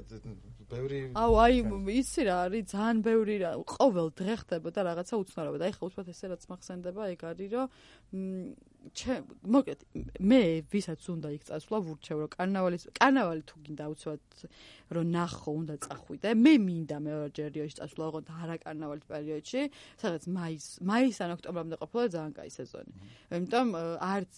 ბევრი
აუ აი იცი რა არის ძალიან ბევრი რა ყოველ დღე ხდებოდა რაღაცა უცნაურობა და ეხლა უცბად ესე რაც მახსენდება ეგ არის რომ მოკეთ მე ვისაც უნდა იქ წასვლა ვურჩევ რომ კარნავალი თუ გინდა უცბად რომ ნახო უნდა წახვიდე მე მინდა მეორჯერ რიოში წასვლა ოღონდ არა კარნავალის პერიოდში სადაც მაისიდან ოქტომბრამდე ყოფილა ძალიან კაი სეზონი იმიტომ არც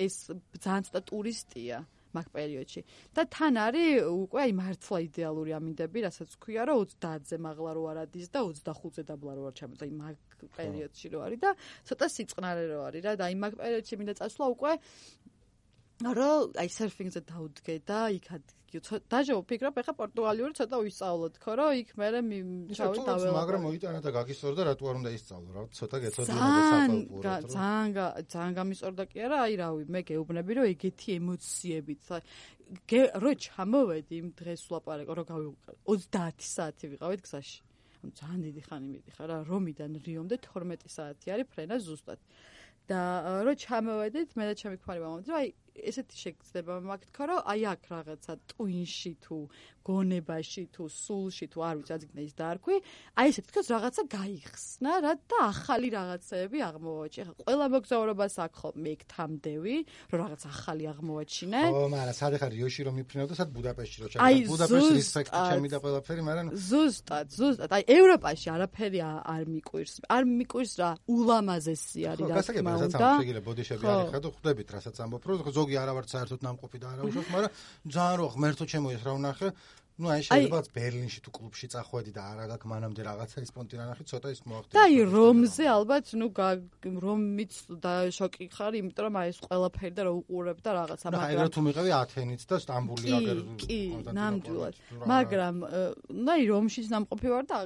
ეს ძალიან ცოტა ტურისტია მაგ პერიოდში და თან არის უკვე აი მართლა იდეალური ამინდები რასაც ვქვია რომ 30-ზე მაღლა რო არ ადის და 25-ზე დაბლა რო არ ჩამოწა აი მაგ პერიოდში რო არის და ცოტა სიწყნარე რო არის რა და აი მაგ პერიოდში მინდა წასვლა უკვე რომ აი სერფინგზე დავდგე და იქ დაჟე ვფიქრობ, ეხა პორტუგალიური ცოტა ვისწავლოთ, ხო, რომ იქ მე ჩავი დაველაპარაკე.
მაგრამ მოიტანა და გაგისწორდა, რატო არ უნდა ისწავლო, რა, ცოტა გეცოდინა და საკალკულოთ.
ძალიან გამისწორდა კი არა, აი რავი, მე გეუბნები, რომ ეგეთი ემოციებით, რო ჩამოვედი იმ დღეს ვლაპარაკო, რომ გავიყავ 30 საათი ვიყავით გზაში. ძალიან დიდი ხანი მიდიხარ რა, რომიდან რიომდე 12 საათი არის ფრენა ზუსტად. და რო ჩამოვედით, მე და ჩემი ქმარი ვამბობთ, რომ აი ესეთი შეგრძნება მაქვს თქო, რომ აი აქ რაღაცა ტვინში თუ გონებაში თუ სულში თუ არ ვიცი, აზიგნა ის დაარქვი, აი ესეთი თქოს რაღაცა გაიხსნა რა და ახალი რაღაცეები აღმოვაჩინე. ეხლა ყველა მოგზაურობას აქ ხოლმე იქ თამდევი, რომ რაღაც ახალი აღმოვაჩინე.
ო, მაგრამ სად ხარ რიოში რომ მიფრინავ და სად ბუდაპეშტში რომ ჩავიდა. ბუდაპეშტის რესპექტი ჩემი და ყველაფერი, მაგრამ
ზუსტად. აი ევროპაში არაფერი არ მიკვირს. არ მიკვირს რა, ულამაზესი არის რა თქმა უნდა.
შეიძლება ბოდიშები არ იხარ და ხვდებით რასაც ამბობ, რომ ზოგი არა ვარ საერთოდ ნამყოფი და არა უშავს, მაგრამ ძალიან რო ღმერთო ჩემო ეს რა ვნახე. Ну, აი შეიძლება ბერლინში თუ კლუბში წახვედი და არა გაქვს მანამდე რაღაცა ის პონტი რა ნახე, ცოტა ის მოახდინე.
და აი რომზე ალბათ, რომიც და შოკი ხარ, იმიტომ რომ აი ეს ყველაფერი და რო უყურებ და რაღაცა,
მაგრამ აი რა თუ მიყევი ათენიც და სტამბული აგერ.
კი, ნამდვილად. მაგრამ აი რომშიც ნამყოფი ვარ და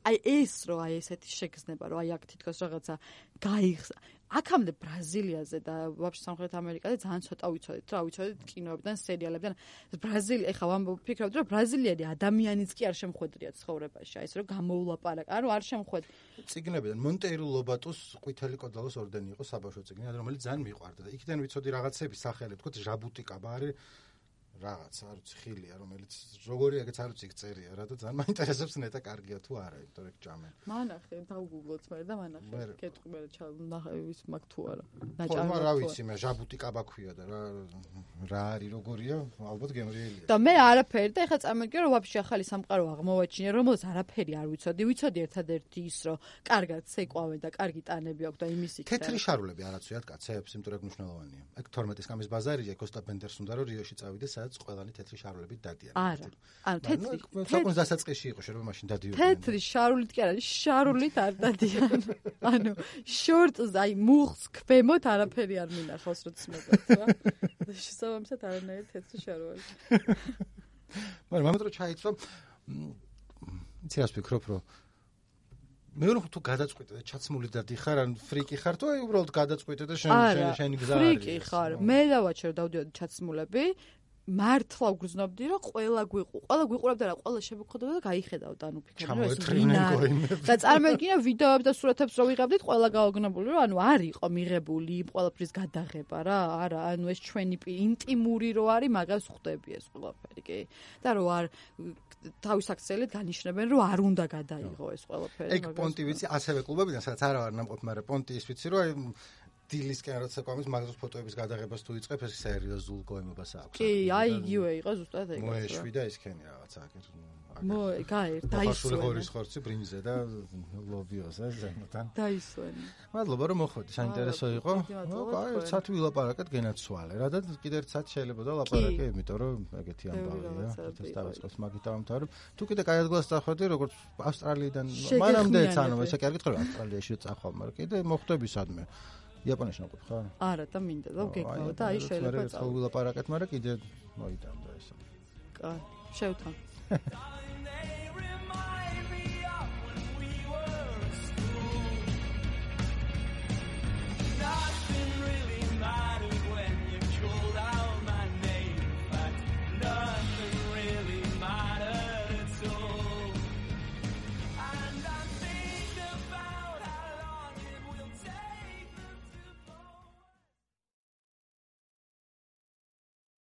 აი ეს რო აი ესეთი შეგრძნება, რომ აი აქ თითქოს რაღაცა გაიხსნა. აქამდე ბრაზილიაზე და ვაფშე სამხრეთ ამერიკაზე ძალიან ცოტა ვიცოდით, რა ვიცოდით კინოებიდან, სერიალებიდან. ბრაზილია, ეხლა ვფიქრობთ, რომ ბრაზილიელი ადამიანიც კი არ შემხვედრია ცხოვრებაში, აი ეს რომ გამოულაპარაკა, ანუ არ შემხვედრია.
წიგნებიდან მონტეირო ლობატოს ყვითელი კოდალოს ორდენი იყო საბავშვო წიგნი, რომელიც ძალიან მიყვარდა და იქიდან ვიცოდი რაღაცების სახელი, თქო ჟაბუტიკაბა არის რაღაც არ ვიცი ხილია, რომელიც როგორი ეგეც არ ვიცი წერია რა და ძალიან მაინტერესებს ნეტა კარგია თუ არა, იმიტომ რომ ჭამენ.
მანახე, დავგუგლოთ მე და მანახე. კეთყვი მე ნახე ის მაგ თუ არა.
ნაჭარი. რა ვიცი მე ჟაბუტიკაბა ქვია და რა არის როგორია, ალბათ გემრიელია.
და მე არაფერი და ეხლა წარმოგიდგენ რომ ვაფშე ახალი სამყარო აღმოვაჩინე, რომელსაც არაფერი არ ვიცოდი. ვიცოდი ერთადერთი ის, რომ კარგად ცეკვავენ და კარგი ტანები აქვს და იმის იქ.
თეთრი შარულები არ აცვიათ კაცებს, იმიტომ რომ მნიშვნელოვანია. ეგ 12 კამის ბაზარია, კოსტა პენდერს უნდა რომ რიოში წავიდეს, სადაც ყველანი თეთრი შარულებით დადიან.
არა. ანუ თეთრი.
საკუთარ დასაწყისში იყო შეიძლება მაშინ დადიოდნენ.
თეთრი შარულით კი არა, შარულით არ დადიან. ანუ შორტს აი მუხს ქვემოთ არაფერი არ მინახავს როც მოგწვა. და შესაბამისად არანაირი თეთრი შარული.
მაგრამ ამიტომ ჩაიცვა. იცი რას ვფიქრობ, რომ მე რომ თუ გადაწყვიტე და ჩაცმული და დიხარ, ან ფრიკი ხარ, თუ აი უბრალოდ გადაწყვიტე და შენი გზა არის.
ფრიკი ხარ. მე დავაჩერ დავდიოდი ჩაცმულები. მართლა ვგრძნობდი რომ ყველა გვიყურებდა რა, ყველა შემოგხვდებოდა და გაიხედავდა, ანუ ფიქრობდი რომ ეს ვინაა. და წარმოგიდგენია ვიდეოებს და სურათებს რო ვიღებდით, ყველა გაოგნებული რომ ანუ არ იყო მიღებული იმ ყველაფრის გადაღება რა, არა, ანუ ეს ჩვენი ინტიმური რო არის, მაგას ხვდები ეს ყველაფერი, კი? და რო არ თავის აქციელით განიშნებენ რომ არ უნდა გადაიღო ეს ყველაფერი.
ეგ პონტი ვიცი, ასევე კლუბებიდან, სადაც არა ვარ ნამყოფი, მაგრამ პონტი ის ვიცი რომ აი დილისკენ როცა ყავს მაგაზოს ფოტოების გადაღებას თუ იწყებ ეს სერიოზულ გოემობას აქვს.
კი, აი იგივე იყო ზუსტად ეგ.
მოეშვი და ისქენი რაღაცა აგერ.
გაერთ,
დაისვენ. ფაშული ღორის ხორცი ბრინჯზე და ლობიოს ეს ზემოდან.
დაისვენ.
მადლობა რომ მოხვედი, საინტერესო იყო. აი, ერთ საათი ვილაპარაკეთ გენაცვალე რა და კიდე ერთ საათი შეიძლება და ლაპარაკე, იმიტომ რომ ეგეთი ამბავია. თითქოს დავიწყოს მაგით დავამთავრებ. თუ კიდე კაი ადგილას წახვედი, როგორც ავსტრალიიდან, მანამდეც ანუ ესე კი არ გითხრა ავსტრალიაში წახვალ, მაგრამ კიდე მოხვდები სადმე. იაპონიაში ნაყოფი ხარ?
არა და მინდა და გეკავა და აი შეიძლება
წავ ვილაპარაკეთ, მაგრამ კიდე მოიტანდა ესე.
კაი, შევთან.